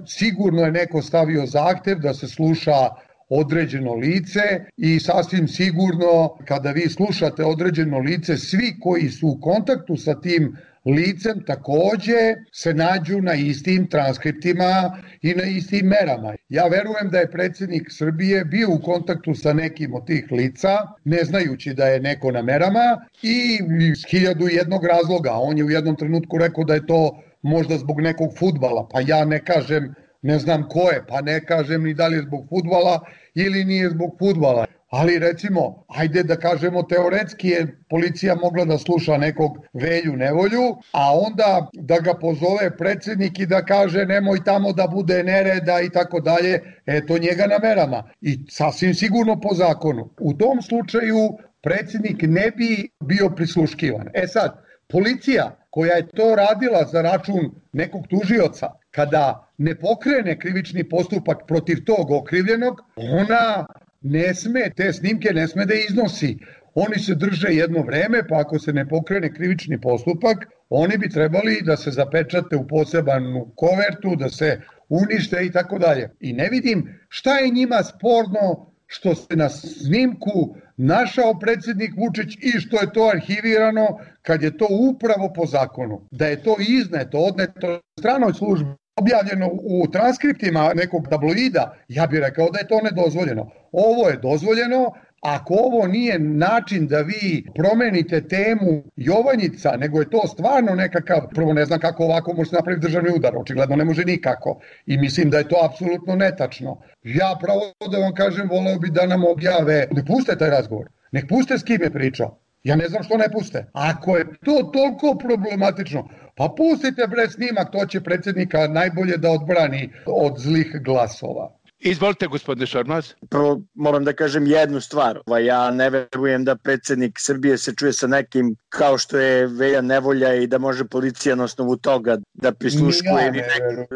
Sigurno je neko stavio zahtev da se sluša određeno lice i sasvim sigurno kada vi slušate određeno lice, svi koji su u kontaktu sa tim licem takođe se nađu na istim transkriptima i na istim merama. Ja verujem da je predsednik Srbije bio u kontaktu sa nekim od tih lica, ne znajući da je neko na merama i iz 1001 razloga. On je u jednom trenutku rekao da je to možda zbog nekog fudbala, pa ja ne kažem, ne znam ko je, pa ne kažem ni da li je zbog fudbala ili nije zbog fudbala. Ali recimo, ajde da kažemo teoretski je policija mogla da sluša nekog Velju Nevolju, a onda da ga pozove predsednik i da kaže nemoj tamo da bude nereda i tako dalje, eto njega na merama. I sasvim sigurno po zakonu. U tom slučaju predsednik ne bi bio prisluškivan. Sad, policija koja je to radila za račun nekog tužioca, kada ne pokrene krivični postupak protiv tog okrivljenog, ona ne sme, te snimke ne sme da iznosi. Oni se drže jedno vreme, pa ako se ne pokrene krivični postupak, oni bi trebali da se zapečate u posebnu kovertu, da se unište i tako dalje. I ne vidim šta je njima sporno što se na snimku našao predsednik Vučić i što je to arhivirano kad je to upravo po zakonu. Da je to izneto, odneto stranoj službi, objavljeno u transkriptima nekog tabloida, ja bih rekao da je to nedozvoljeno. Ovo je dozvoljeno. Ako ovo nije način da vi promenite temu Jovanjica, nego je to stvarno nekakav, prvo ne znam kako ovako može napraviti državni udar, očigledno ne može nikako i mislim da je to apsolutno netačno. Ja pravo da vam kažem, voleo bi da nam objave, ne puste taj razgovor, nek puste s kim je pričao. Ja ne znam što ne puste. Ako je to toliko problematično, pa pustite bre snimak, to će predsednika najbolje da odbrani od zlih glasova. Izvolite, gospodine Šormaz. Prvo moram da kažem jednu stvar. Ja ne verujem da predsednik Srbije se čuje sa nekim kao što je Velja Nevolja i da može policija na osnovu toga da prisluškuje ili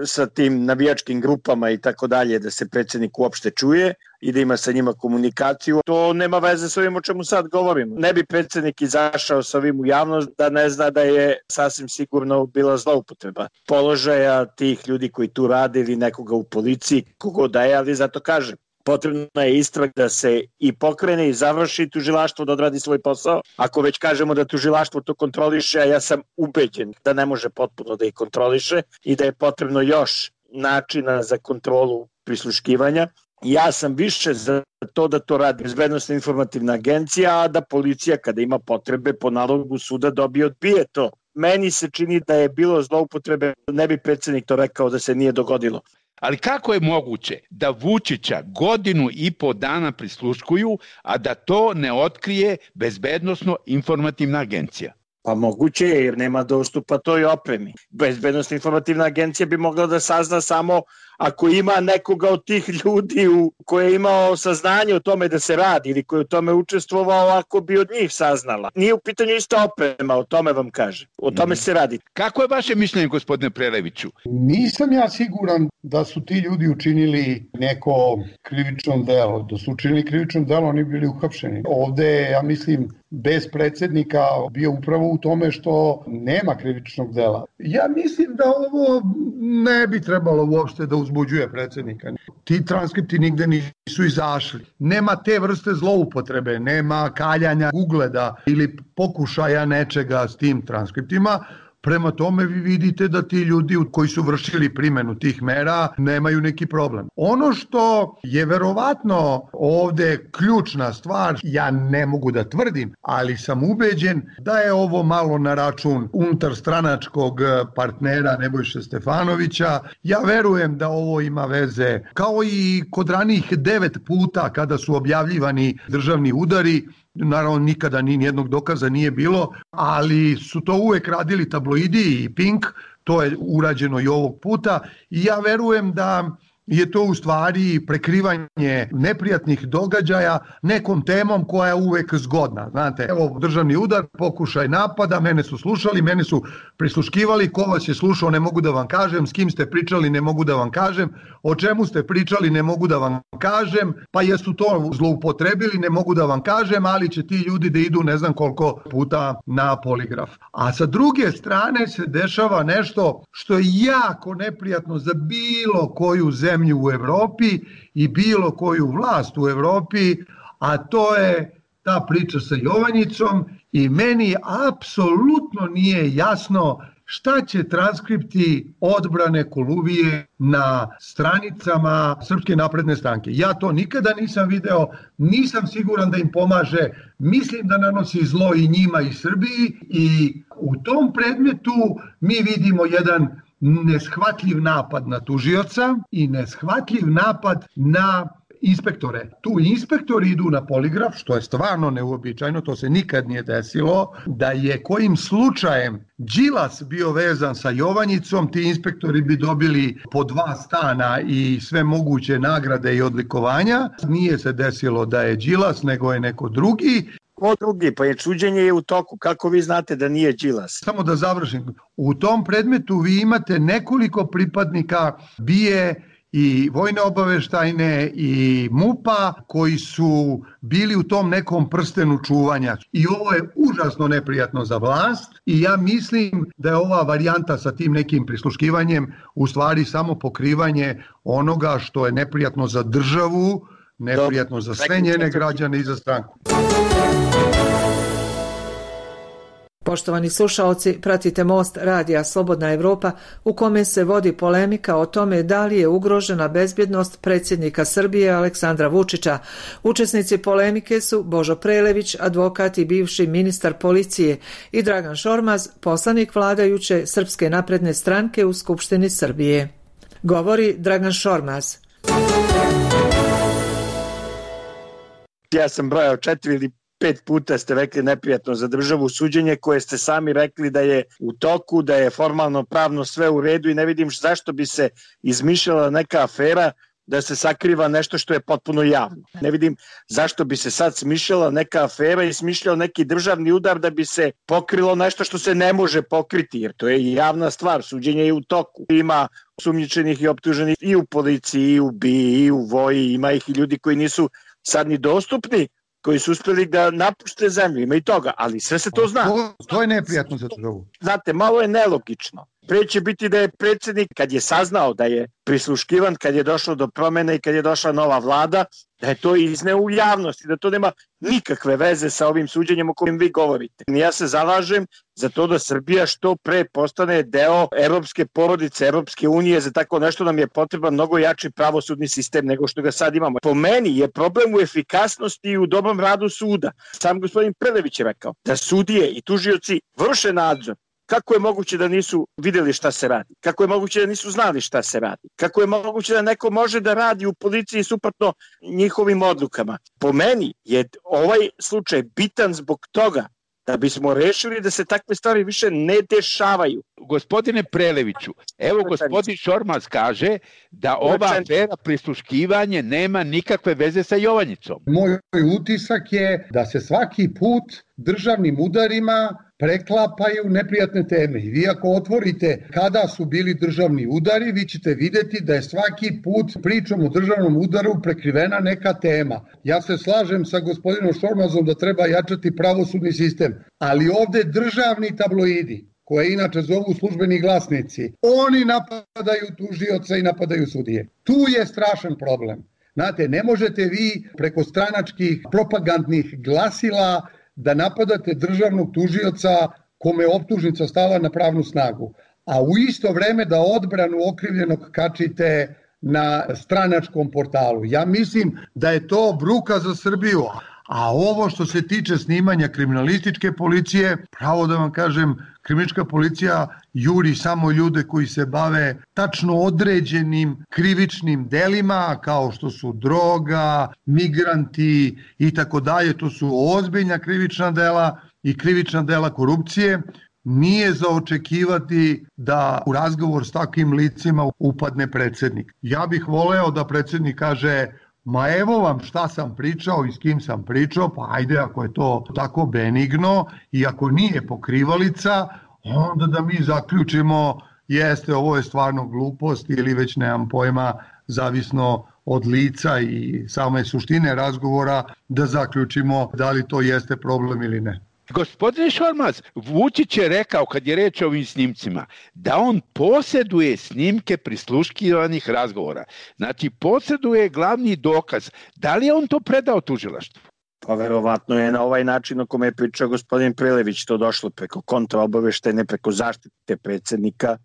sa tim navijačkim grupama i tako dalje, da se predsednik uopšte čuje i da ima sa njima komunikaciju. To nema veze s ovim o čemu sad govorimo. Ne bi predsednik izašao sa ovim u javnost da ne zna da je sasvim sigurno bila zloupotreba položaja tih ljudi koji tu rade ili nekoga u policiji, kogo da je, ali zato kažem, potrebna je istraga da se i pokrene i završi tužilaštvo da odradi svoj posao. Ako već kažemo da tužilaštvo to kontroliše, a ja sam ubeđen da ne može potpuno da ih kontroliše i da je potrebno još načina za kontrolu prisluškivanja. Ja sam više za to da to radi Bezbednosna informativna agencija, a da policija kada ima potrebe po nalogu suda dobije odbije to. Meni se čini da je bilo zloupotrebe, ne bi predsednik to rekao da se nije dogodilo. Ali kako je moguće da Vučića 1,5 dana prisluškuju, a da to ne otkrije Bezbednosno informativna agencija? Pa moguće je jer nema dostupa toj opremi. Bezbednosna informativna agencija bi mogla da sazna samo ako ima nekoga od tih ljudi koji je imao saznanje o tome da se radi ili koji je u tome učestvovao, ako bi od njih saznala. Nije u pitanju ista oprema, o tome vam kažem. O tome se radi. Kako je vaše mišljenje, gospodine Preleviću? Nisam ja siguran da su ti ljudi učinili neko krivično delo. Da su učinili krivično delo, oni bili uhapšeni. Ovde, ja mislim, bez predsednika bio upravo u tome što nema krivičnog dela. Ja mislim da ovo ne bi trebalo uopšte da uzbuđuje predsednika. Ti transkripti nigde nisu izašli. Nema te vrste zloupotrebe, nema kaljanja ugleda ili pokušaja nečega s tim transkriptima. Prema tome vi vidite da ti ljudi koji su vršili primenu tih mera nemaju neki problem. Ono što je verovatno ovde ključna stvar, ja ne mogu da tvrdim, ali sam ubeđen da je ovo malo na račun unutarstranačkog partnera Nebojše Stefanovića. Ja verujem da ovo ima veze, kao i kod ranijih 9 puta kada su objavljivani državni udari. Naravno, nikada nijednog dokaza nije bilo, ali su to uvek radili tabloidi i Pink, to je urađeno i ovog puta i ja verujem da je to u stvari prekrivanje neprijatnih događaja nekom temom koja je uvek zgodna. Znate, evo državni udar, pokušaj napada, mene su slušali, mene su prisluškivali, ko vas je slušao ne mogu da vam kažem, s kim ste pričali ne mogu da vam kažem, o čemu ste pričali ne mogu da vam kažem, pa jesu to zloupotrebili ne mogu da vam kažem, ali će ti ljudi da idu ne znam koliko puta na poligraf. A sa druge strane se dešava nešto što je jako neprijatno za bilo koju zemlju u Evropi i bilo koju vlast u Evropi, a to je ta priča sa Jovanjicom i meni apsolutno nije jasno šta će transkripti odbrane Koluvije na stranicama Srpske napredne stranke. Ja to nikada nisam video, nisam siguran da im pomaže, mislim da nanosi zlo i njima i Srbiji i u tom predmetu mi vidimo jedan neshvatljiv napad na tužioca i neshvatljiv napad na inspektore. Tu inspektori idu na poligraf, što je stvarno neuobičajeno, to se nikad nije desilo, da je kojim slučajem Đilas bio vezan sa Jovanjicom, ti inspektori bi dobili po 2 stana i sve moguće nagrade i odlikovanja. Nije se desilo da je Đilas, nego je neko drugi. Ko drugi? Pa je suđenje je u toku. Kako vi znate da nije Đilas? Samo da završim. U tom predmetu vi imate nekoliko pripadnika BIA i vojne obaveštajne i MUP-a koji su bili u tom nekom prstenu čuvanja. I ovo je užasno neprijatno za vlast i ja mislim da je ova varijanta sa tim nekim prisluškivanjem u stvari samo pokrivanje onoga što je neprijatno za državu, neprijatno za sve njene građane i za stranku. Poštovani slušaoci, pratite Most radija Slobodna Evropa u kome se vodi polemika o tome da li je ugrožena bezbjednost predsjednika Srbije Aleksandra Vučića. Učesnici polemike su Božo Prelević, advokat i bivši ministar policije, i Dragan Šormaz, poslanik vladajuće Srpske napredne stranke u Skupštini Srbije. Govori Dragan Šormaz. Ja sam brojao 4 ili 5 puta ste rekli neprijatno za državu suđenje koje ste sami rekli da je u toku, da je formalno pravno sve u redu i ne vidim zašto bi se izmišljala neka afera da se sakriva nešto što je potpuno javno. Ne vidim zašto bi se sad smišljala neka afera i smišljao neki državni udar da bi se pokrilo nešto što se ne može pokriti, jer to je javna stvar, suđenje je u toku. Ima sumnjičenih i optuženih i u policiji, i u BIA, i u voji, ima ih i ljudi koji nisu sad ni dostupni, koji su uspjeli da napušte zemlju, ima i toga, ali sve se to zna. To je neprijatno za državu. Znate, malo je nelogično. Pre će biti da je predsjednik, kad je saznao da je prisluškivan, kad je došlo do promjene i kad je došla nova vlada, da je to izneo u javnosti, da to nema nikakve veze sa ovim suđenjem o kojem vi govorite. Ja se zalažem za to da Srbija što pre postane deo evropske porodice, Evropske unije, za tako nešto nam je potreban mnogo jači pravosudni sistem nego što ga sad imamo. Po meni je problem u efikasnosti i u dobrom radu suda. Sam gospodin Prelević je rekao da sudije i tužioci vrše nadzor. Kako je moguće da nisu vidjeli šta se radi? Kako je moguće da nisu znali šta se radi? Kako je moguće da neko može da radi u policiji suprotno njihovim odlukama? Po meni je ovaj slučaj bitan zbog toga da bismo rešili da se takve stvari više ne dešavaju. Gospodine Preleviću, evo gospodin Šormaz kaže da ova afera prisluškivanje nema nikakve veze sa Jovanjicom. Moj utisak je da se svaki put državnim udarima preklapaju neprijatne teme. I vi ako otvorite kada su bili državni udari, vi ćete vidjeti da je svaki put pričom o državnom udaru prekrivena neka tema. Ja se slažem sa gospodinom Šormazom da treba jačati pravosudni sistem, ali ovde državni tabloidi, koje inače zovu službeni glasnici, oni napadaju tužioca i napadaju sudije. Tu je strašan problem. Znate, ne možete vi preko stranačkih propagandnih glasila da napadate državnog tužioca kome je optužnica stala na pravnu snagu, a u isto vreme da odbranu okrivljenog kačite na stranačkom portalu. Ja mislim da je to bruka za Srbiju. A ovo što se tiče snimanja kriminalističke policije, pravo da vam kažem, kriminalistička policija juri samo ljude koji se bave tačno određenim krivičnim delima, kao što su droga, migranti i tako dalje. To su ozbiljna krivična dela i krivična dela korupcije. nije za očekivati da u razgovor s takvim licima upadne predsjednik. Ja bih voleo da predsjednik kaže: ma evo vam šta sam pričao i s kim sam pričao, pa ajde ako je to tako benigno i ako nije pokrivalica, onda da mi zaključimo jeste, ovo je stvarno glupost ili već nemam pojma, zavisno od lica i same suštine razgovora, da zaključimo da li to jeste problem ili ne. Gospodine Šormaz, Vučić je rekao kad je reč o ovim snimcima da on posjeduje snimke prisluškivanih razgovora. Znači posjeduje glavni dokaz. Da li je on to predao tužilaštvu? Pa verovatno je na ovaj način o kome je pričao gospodin Prelević to došlo preko kontraobaveštajne, preko zaštite predsjednika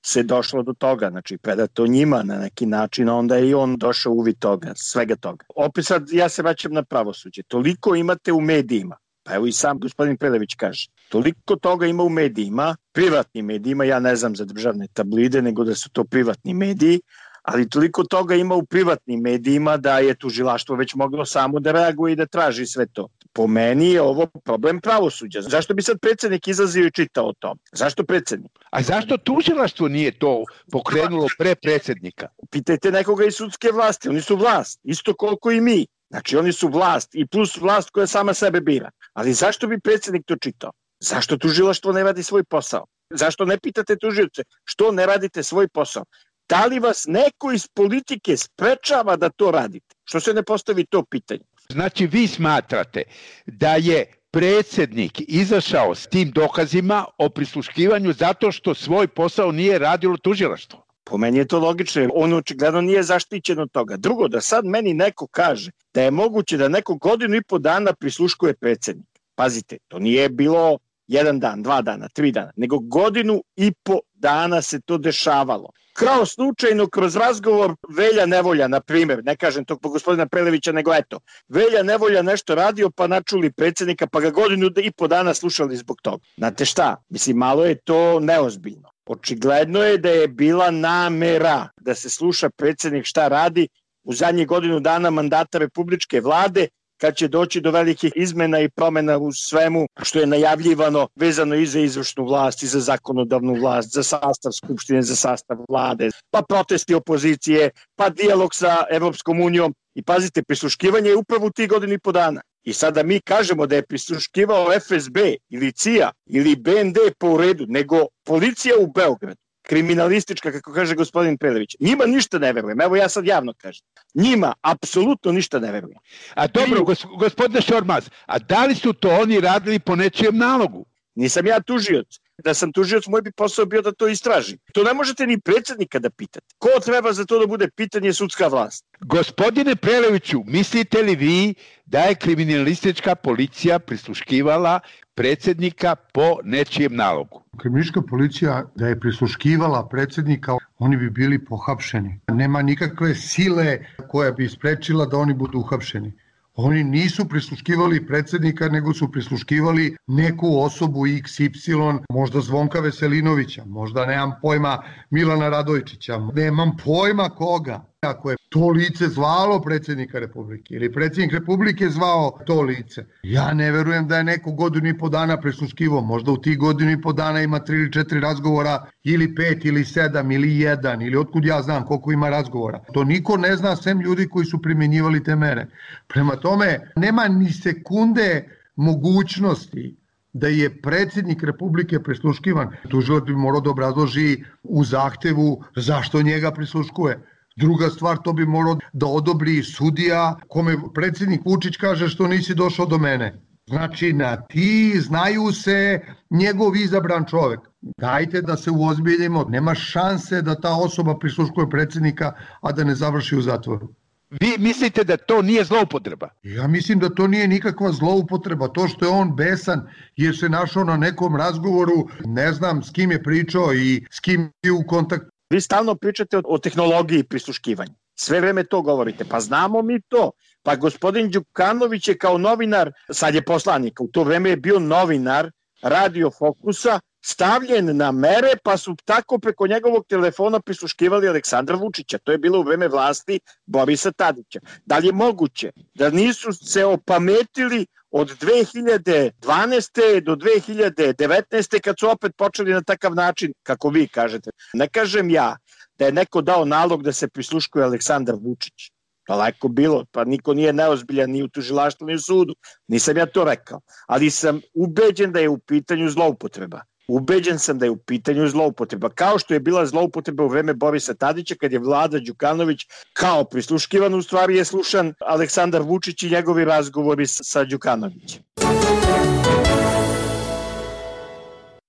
se došlo do toga, znači predato njima na neki način, onda je i on došao uvid toga, svega toga. Opet sad ja se vraćam na pravosuđe, toliko imate u medijima, pa evo i sam gospodin Prelević kaže, toliko toga ima u medijima, privatnim medijima, ja ne znam za državne tablide, nego da su to privatni mediji, ali toliko toga ima u privatnim medijima da je tužilaštvo već moglo samo da reaguje i da traži sve to. Po meni je ovo problem pravosuđa. Zašto bi sad predsjednik izlazio i čitao o tom? Zašto predsjednik? A zašto tužilaštvo nije to pokrenulo pre predsjednika? Pitajte nekoga iz sudske vlasti, oni su vlast, isto koliko i mi. Znači oni su vlast i plus vlast koja sama sebe bira. Ali zašto bi predsjednik to čitao? Zašto tužilaštvo ne radi svoj posao? Zašto ne pitate tužioce što ne radite svoj posao? Da li vas neko iz politike sprečava da to radite? Što se ne postavi to pitanje? Znači vi smatrate da je predsjednik izašao s tim dokazima o prisluškivanju zato što svoj posao nije radilo tužilaštvo? Po meni je to logično, on očigledno nije zaštićen od toga. Drugo, da sad meni neko kaže da je moguće da neko 1.5 dana prisluškuje predsjednik. Pazite, to nije bilo 1 dan, 2 dana, 3 dana, nego 1.5 dana se to dešavalo. Kao slučajno kroz razgovor Velja Nevolja, na primjer, ne kažem to po gospodina Prelevića, nego eto, Velja Nevolja nešto radio pa načuli predsjednika pa ga 1.5 dana slušali zbog toga. Znate šta, mislim, malo je to neozbiljno. Očigledno je da je bila namera da se sluša predsjednik šta radi u zadnjih 1 dana mandata republičke vlade, kad će doći do velikih izmena i promjena u svemu što je najavljivano vezano i za izvršnu vlast, i za zakonodavnu vlast, za sastav skupštine, za sastav vlade, pa protesti opozicije, pa dijalog sa Evropskom unijom. I pazite, prisluškivanje je upravo u tih 1.5 dana. I sada mi kažemo da je prisluškivao FSB ili CIA ili BND po redu, nego policija u Beogradu, kriminalistička, kako kaže gospodin Prelević. Njima ništa ne verujem. Evo ja sad javno kažem. Njima apsolutno ništa ne verujem. A dobro, gospodine Šormaz, a da li su to oni radili po nečijem nalogu? Nisam ja tužioc. Da sam tužioc, moj bi posao bio da to istražim. To ne možete ni predsjednika da pitate. Ko treba za to da bude pitanje sudska vlast? Gospodine Preleviću, mislite li vi da je kriminalistička policija prisluškivala predsjednika po nečijem nalogu? Kriminalistička policija da je prisluškivala predsjednika, oni bi bili pohapšeni. Nema nikakve sile koja bi sprečila da oni budu uhapšeni. Oni nisu prisluškivali predsjednika, nego su prisluškivali neku osobu XY, možda Zvonka Veselinovića, možda nemam pojma Milana Radojičića, nemam pojma koga. Ako je to lice zvalo predsjednika Republike ili predsjednik Republike zvao to lice, ja ne verujem da je neko 1.5 dana prisluškivao. Možda u tih 1.5 dana ima 3 ili 4 razgovora, ili 5 ili 7 ili 1, ili otkud ja znam koliko ima razgovora. To niko ne zna sem ljudi koji su primjenjivali te mere. Prema tome, nema ni sekunde mogućnosti da je predsjednik Republike prisluškivan. Tužilac bi morao da obrazloži u zahtevu zašto njega prisluškuje. Druga stvar, to bi morao da odobri sudija kome predsjednik Vučić kaže što nisi došao do mene. Znači, na ti znaju se njegov izabran čovjek. Dajte da se uozbiljimo. Nema šanse da ta osoba prisluškuje predsjednika, a da ne završi u zatvoru. Vi mislite da to nije zloupotreba? Ja mislim da to nije nikakva zloupotreba. To što je on besan jer se našao na nekom razgovoru, ne znam s kim je pričao i s kim je u kontaktu. Vi stalno pričate o tehnologiji prisluškivanja. Sve vreme to govorite. Pa znamo mi to. Pa gospodin Đukanović je kao novinar, sad je poslanik, u to vreme je bio novinar Radio Fokusa, stavljen na mere, pa su tako preko njegovog telefona prisluškivali Aleksandra Vučića. To je bilo u vreme vlasti Borisa Tadića. Da li je moguće da nisu se opametili od 2012. do 2019. kad su opet počeli na takav način, kako vi kažete? Ne kažem ja da je neko dao nalog da se prisluškuje Aleksandar Vučić. Daleko bilo, pa niko nije neozbiljan ni u tužilaštvu ni u sudu. Nisam ja to rekao, ali sam ubeđen da je u pitanju zloupotreba. Ubeđen sam da je u pitanju zloupotreba, kao što je bila zloupotreba u vreme Borisa Tadića kad je Vlada Đukanović kao prisluškivan, u stvari je slušan Aleksandar Vučić i njegovi razgovori sa Đukanovićem.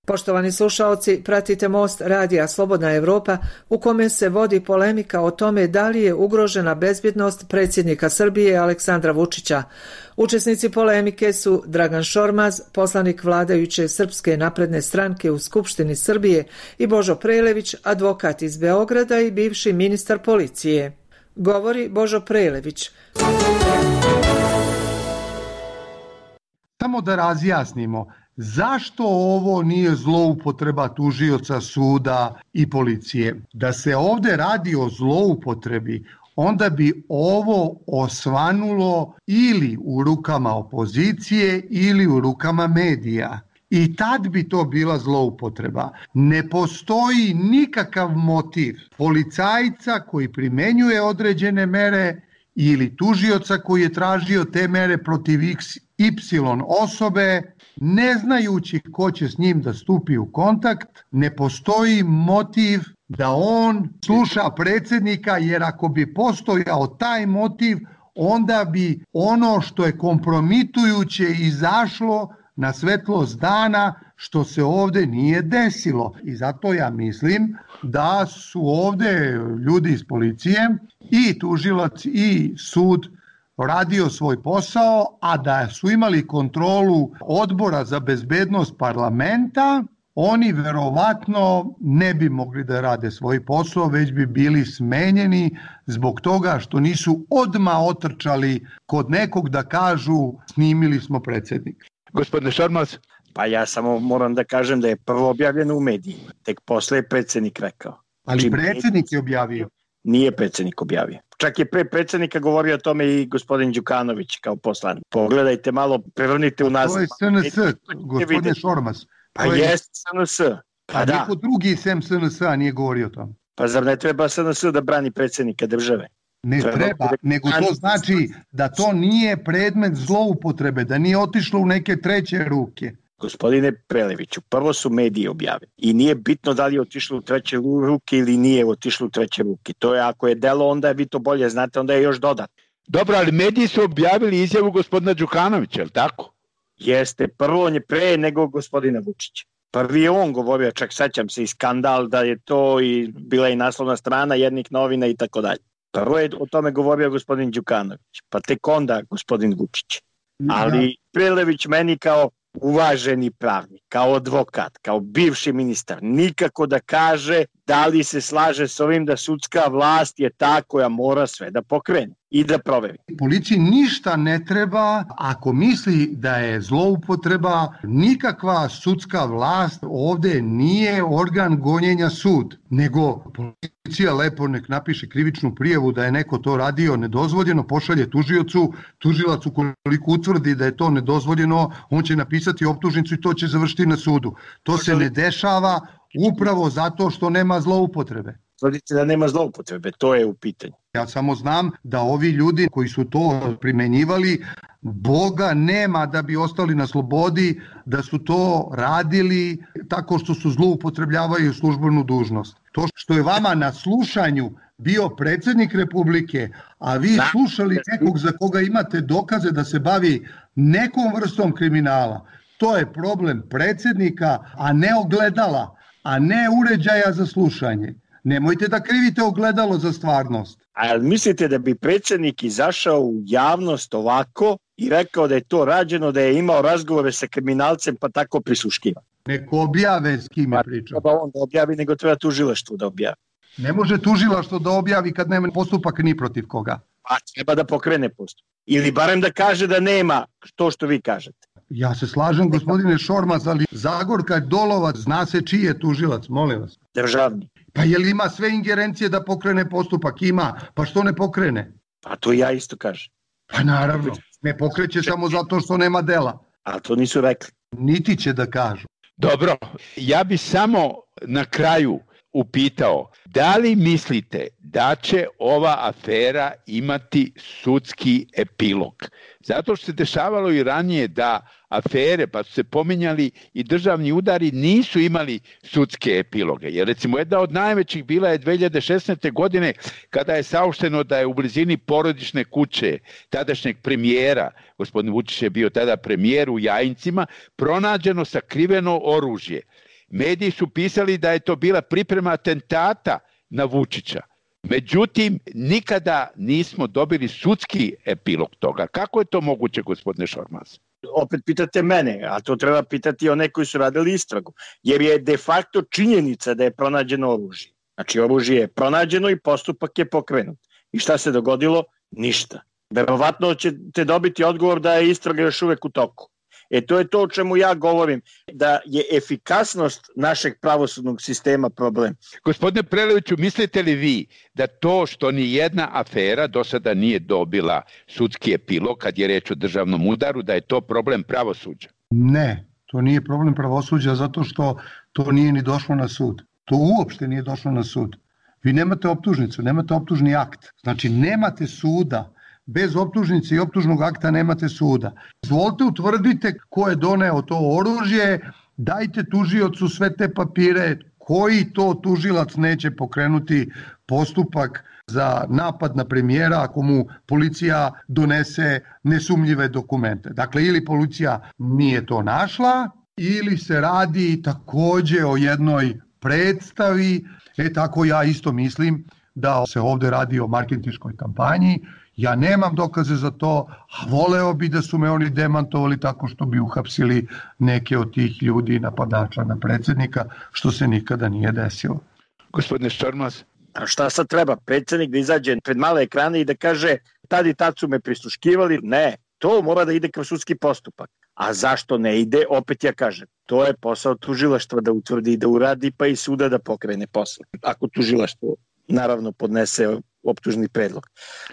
Poštovani slušaoci, pratite Most radija Slobodna Evropa u kome se vodi polemika o tome da li je ugrožena bezbjednost predsjednika Srbije Aleksandra Vučića. Učesnici polemike su Dragan Šormaz, poslanik vladajuće Srpske napredne stranke u Skupštini Srbije, i Božo Prelević, advokat iz Beograda i bivši ministar policije. Govori Božo Prelević. Samo da razjasnimo, zašto ovo nije zloupotreba tužioca, suda i policije? Da se ovde radi o zloupotrebi, onda bi ovo osvanulo ili u rukama opozicije ili u rukama medija. I tad bi to bila zloupotreba. Ne postoji nikakav motiv policajca koji primenjuje određene mere ili tužioca koji je tražio te mere protiv XY osobe, ne znajući ko će s njim da stupi u kontakt. Ne postoji motiv da on sluša predsjednika, jer ako bi postojao taj motiv, onda bi ono što je kompromitujuće izašlo na svetlost dana, što se ovde nije desilo. I zato ja mislim da su ovde ljudi iz policije i tužilac i sud radio svoj posao, a da su imali kontrolu Odbora za bezbednost parlamenta, oni verovatno ne bi mogli da rade svoj posao, već bi bili smenjeni zbog toga što nisu odmah otrčali kod nekog da kažu snimili smo predsjednika. Gospodine Šormaz? Pa ja samo moram da kažem da je prvo objavljeno u medijima, tek posle je predsjednik rekao. Ali predsjednik je objavio? Nije predsjednik objavio. Čak je pre predsjednika govorio o tome i gospodin Đukanović kao poslanik. Pogledajte malo, prevrnite u nas. To je SNS, gospodin Šormaz. Pa jest SNS. Pa da. Niko drugi sem SNS-a nije govorio o tome. Pa zar ne treba SNS da brani predsjednika države? Ne treba, nego to znači da to nije predmet zloupotrebe, da nije otišlo u neke treće ruke. Gospodine Preleviću, prvo su mediji objavili i nije bitno da li je otišlo u treće ruke ili nije otišlo u treće ruke. To je, ako je delo, onda vi to bolje znate, onda je još dodatno. Dobro, ali mediji su objavili izjavu gospodina Đukanovića, je li tako? Jeste, prvo on je pre nego gospodina Vučića. Prvi je on govorio, čak sećam se i skandal da je to i bila i naslovna strana jednih novina i tako dalje. Prvo je o tome govorio gospodin Đukanović, pa tek onda gospodin Vučić. Ali Prelević meni kao uvaženi pravnik, kao advokat, kao bivši ministar, nikako da kaže da li se slaže s ovim da sudska vlast je ta koja mora sve da pokrene i da proveri. Policiji ništa ne treba ako misli da je zloupotreba, nikakva sudska vlast ovde nije organ gonjenja sud, nego policija lepo nek napiše krivičnu prijavu da je neko to radio nedozvoljeno, pošalje tužiocu, tužilac ukoliko utvrdi da je to nedozvoljeno, on će napisati optužnicu i to će završiti na sudu. To se ne dešava upravo zato što nema zloupotrebe. Tvrdite da nema zloupotrebe, to je u pitanju. Ja samo znam da ovi ljudi koji su to primenjivali, Boga nema da bi ostali na slobodi, da su to radili tako što su zloupotrebljavaju službenu dužnost. To što je vama na slušanju bio predsjednik Republike, a vi slušali nekog za koga imate dokaze da se bavi nekom vrstom kriminala, to je problem predsjednika, a ne ogledala, a ne uređaja za slušanje. Nemojte da krivite ogledalo za stvarnost. A mislite da bi predsjednik izašao u javnost ovako i rekao da je to rađeno, da je imao razgovore sa kriminalcem pa tako prisluškivan? Neko objave s kim je pričao. Treba on da objavi, nego treba tužilaštvo da objavi. Ne može tužilaštvo da objavi kad nema postupak ni protiv koga. Pa treba da pokrene postupak. Ili barem da kaže da nema to što vi kažete. Ja se slažem, gospodine Šormaz, ali Zagorka Dolovac, zna se čiji je tužilac, molim vas. Državni. Pa je li ima sve ingerencije da pokrene postupak? Ima, pa što ne pokrene? Pa to ja isto kažem. Pa naravno, ne pokreće samo zato što nema dela. A to nisu rekli. Niti će da kažu. Dobro, ja bi samo na kraju upitao, da li mislite da će ova afera imati sudski epilog? Zato što se dešavalo i ranije da afere, pa su se pominjali i državni udari, nisu imali sudske epiloge. Jer recimo jedna od najvećih bila je 2016. godine kada je saopšteno da je u blizini porodične kuće tadašnjeg premijera, gospodin Vučić je bio tada premijer u Jajincima, pronađeno sakriveno oružje. Mediji su pisali da je to bila priprema atentata na Vučića. Međutim, nikada nismo dobili sudski epilog toga. Kako je to moguće, gospodine Šormaz? Opet pitate mene, a to treba pitati one koji su radili istragu. Jer je de facto činjenica da je pronađeno oružje. Znači, oružje je pronađeno i postupak je pokrenut. I šta se dogodilo? Ništa. Verovatno ćete dobiti odgovor da je istraga još uvek u toku. To je to o čemu ja govorim, da je efikasnost našeg pravosudnog sistema problem. Gospodine Preleviću, mislite li vi da to što ni jedna afera do sada nije dobila sudski epilog kad je reč o državnom udaru, da je to problem pravosuđa? Ne, to nije problem pravosuđa zato što to nije ni došlo na sud. To uopšte nije došlo na sud. Vi nemate optužnicu, nemate optužni akt. Znači nemate suda. Bez optužnice i optužnog akta nemate suda. Izvolite, utvrdite ko je doneo to oružje, dajte tužiocu sve te papire, koji to tužilac neće pokrenuti postupak za napad na premijera ako mu policija donese nesumnjive dokumente. Dakle, ili policija nije to našla, ili se radi takođe o jednoj predstavi, tako ja isto mislim da se ovde radi o marketinškoj kampanji. Ja nemam dokaze za to, a voleo bi da su me oni demantovali tako što bi uhapsili neke od tih ljudi, napadača na predsjednika, što se nikada nije desilo. Gospodine Šormaz? A šta sad treba? Predsjednik da izađe pred male ekrane i da kaže tad i tad su me prisluškivali? Ne, to mora da ide kao sudski postupak. A zašto ne ide? Opet ja kažem, to je posao tužilaštva da utvrdi i da uradi, pa i suda da pokrene posle. Ako tužilaštvo naravno podnese optužni predlog.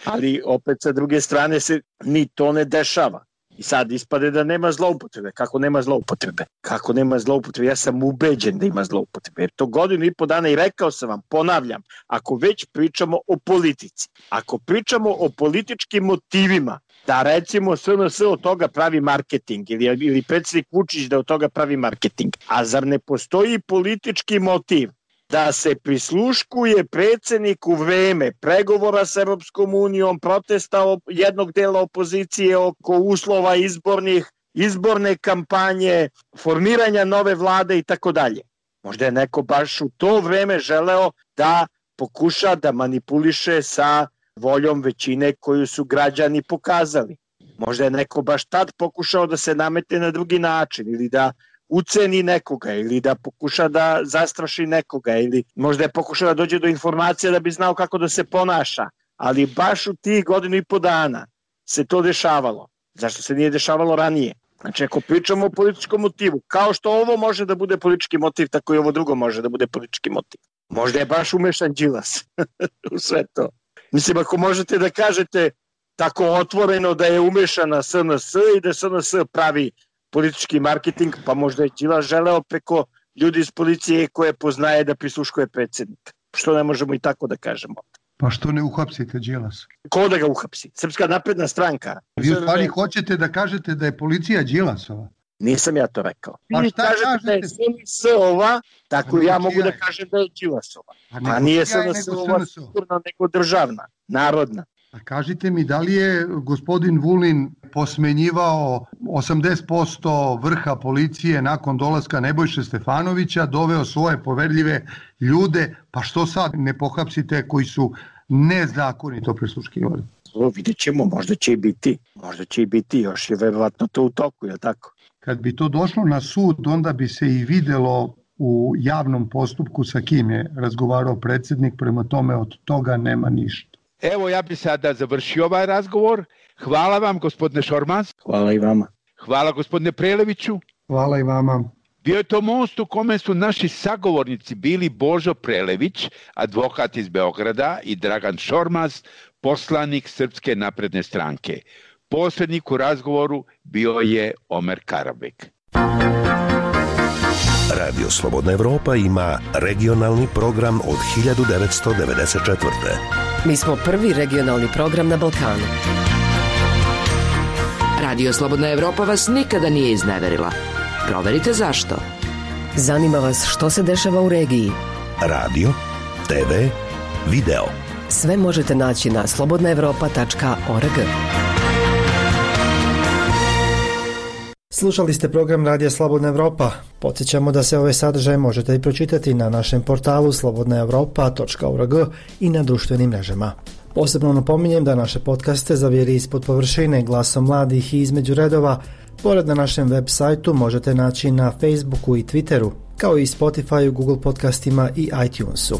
Ali opet sa druge strane se ni to ne dešava. I sad ispade da nema zloupotrebe. Kako nema zloupotrebe? Kako nema zloupotrebe? Ja sam ubeđen da ima zloupotrebe. Jer to 1,5 dana i rekao sam vam, ponavljam, ako već pričamo o politici, ako pričamo o političkim motivima, da recimo SNS od toga pravi marketing ili predsjednik Vučić da od toga pravi marketing, a zar ne postoji politički motiv da se prisluškuje predsjednik u vreme pregovora sa Europskom unijom, protesta jednog dela opozicije oko uslova izborne kampanje, formiranja nove vlade i tako dalje. Možda je neko baš u to vreme želeo da pokuša da manipuliše sa voljom većine koju su građani pokazali. Možda je neko baš tad pokušao da se nametne na drugi način ili da uceni nekoga ili da pokuša da zastraši nekoga ili možda je pokušao da dođe do informacija da bi znao kako da se ponaša, ali baš u tih 1,5 dana se to dešavalo. Zašto se nije dešavalo ranije? Znači, ako pričamo o političkom motivu, kao što ovo može da bude politički motiv, tako i ovo drugo može da bude politički motiv. Možda je baš umešan Đilas u sve to. Mislim, ako možete da kažete tako otvoreno da je umešana SNS i da SNS pravi politički marketing, pa možda je Đilas želeo preko ljudi iz policije koje poznaje da prisluškuje predsjednika. Što ne možemo i tako da kažemo? Pa što ne uhapsite Đilasa? Ko da ga uhapsi? Srpska napredna stranka. Vi u stvari hoćete da kažete da je policija Đilasova? Nisam ja to rekao. Pa vi šta kažete da je SNS-ova, tako ja mogu da kažem da je Đilasova. A nije SNS-ova sigurno nego državna, narodna. A kažite mi, da li je gospodin Vulin posmenjivao 80% vrha policije nakon dolaska Nebojše Stefanovića, doveo svoje poverljive ljude, pa što sad ne pohapsite koji su nezakonito prisluškivali? Vidjet ćemo, možda će i biti, još je verovatno to u toku, je tako? Kad bi to došlo na sud, onda bi se i videlo u javnom postupku sa kim je razgovarao predsjednik, prema tome od toga nema ništa. Evo, ja bi sada završio ovaj razgovor. Hvala vam, gospodine Šormaz. Hvala i vama. Hvala gospodine Preleviću. Hvala i vama. Bio je to most u kome su naši sagovornici bili Božo Prelević, advokat iz Beograda, i Dragan Šormaz, poslanik Srpske napredne stranke. Posrednik u razgovoru bio je Omer Karabek. Radio Slobodna Evropa ima regionalni program od 1994. Mi smo prvi regionalni program na Balkanu. Radio Slobodna Evropa vas nikada nije izneverila. Proverite zašto. Zanima vas što se dešava u regiji. Radio, TV, video. Sve možete naći na slobodnaevropa.org. Slušali ste program Radija Slobodna Evropa. Podsjećamo da se ove sadržaje možete i pročitati na našem portalu slobodnaevropa.org i na društvenim mrežama. Posebno napominjem da naše podcaste Zavjeri ispod površine, Glasom mladih i Između redova, pored na našem web sajtu možete naći na Facebooku i Twitteru, kao i Spotifyu, Google podcastima i iTunesu.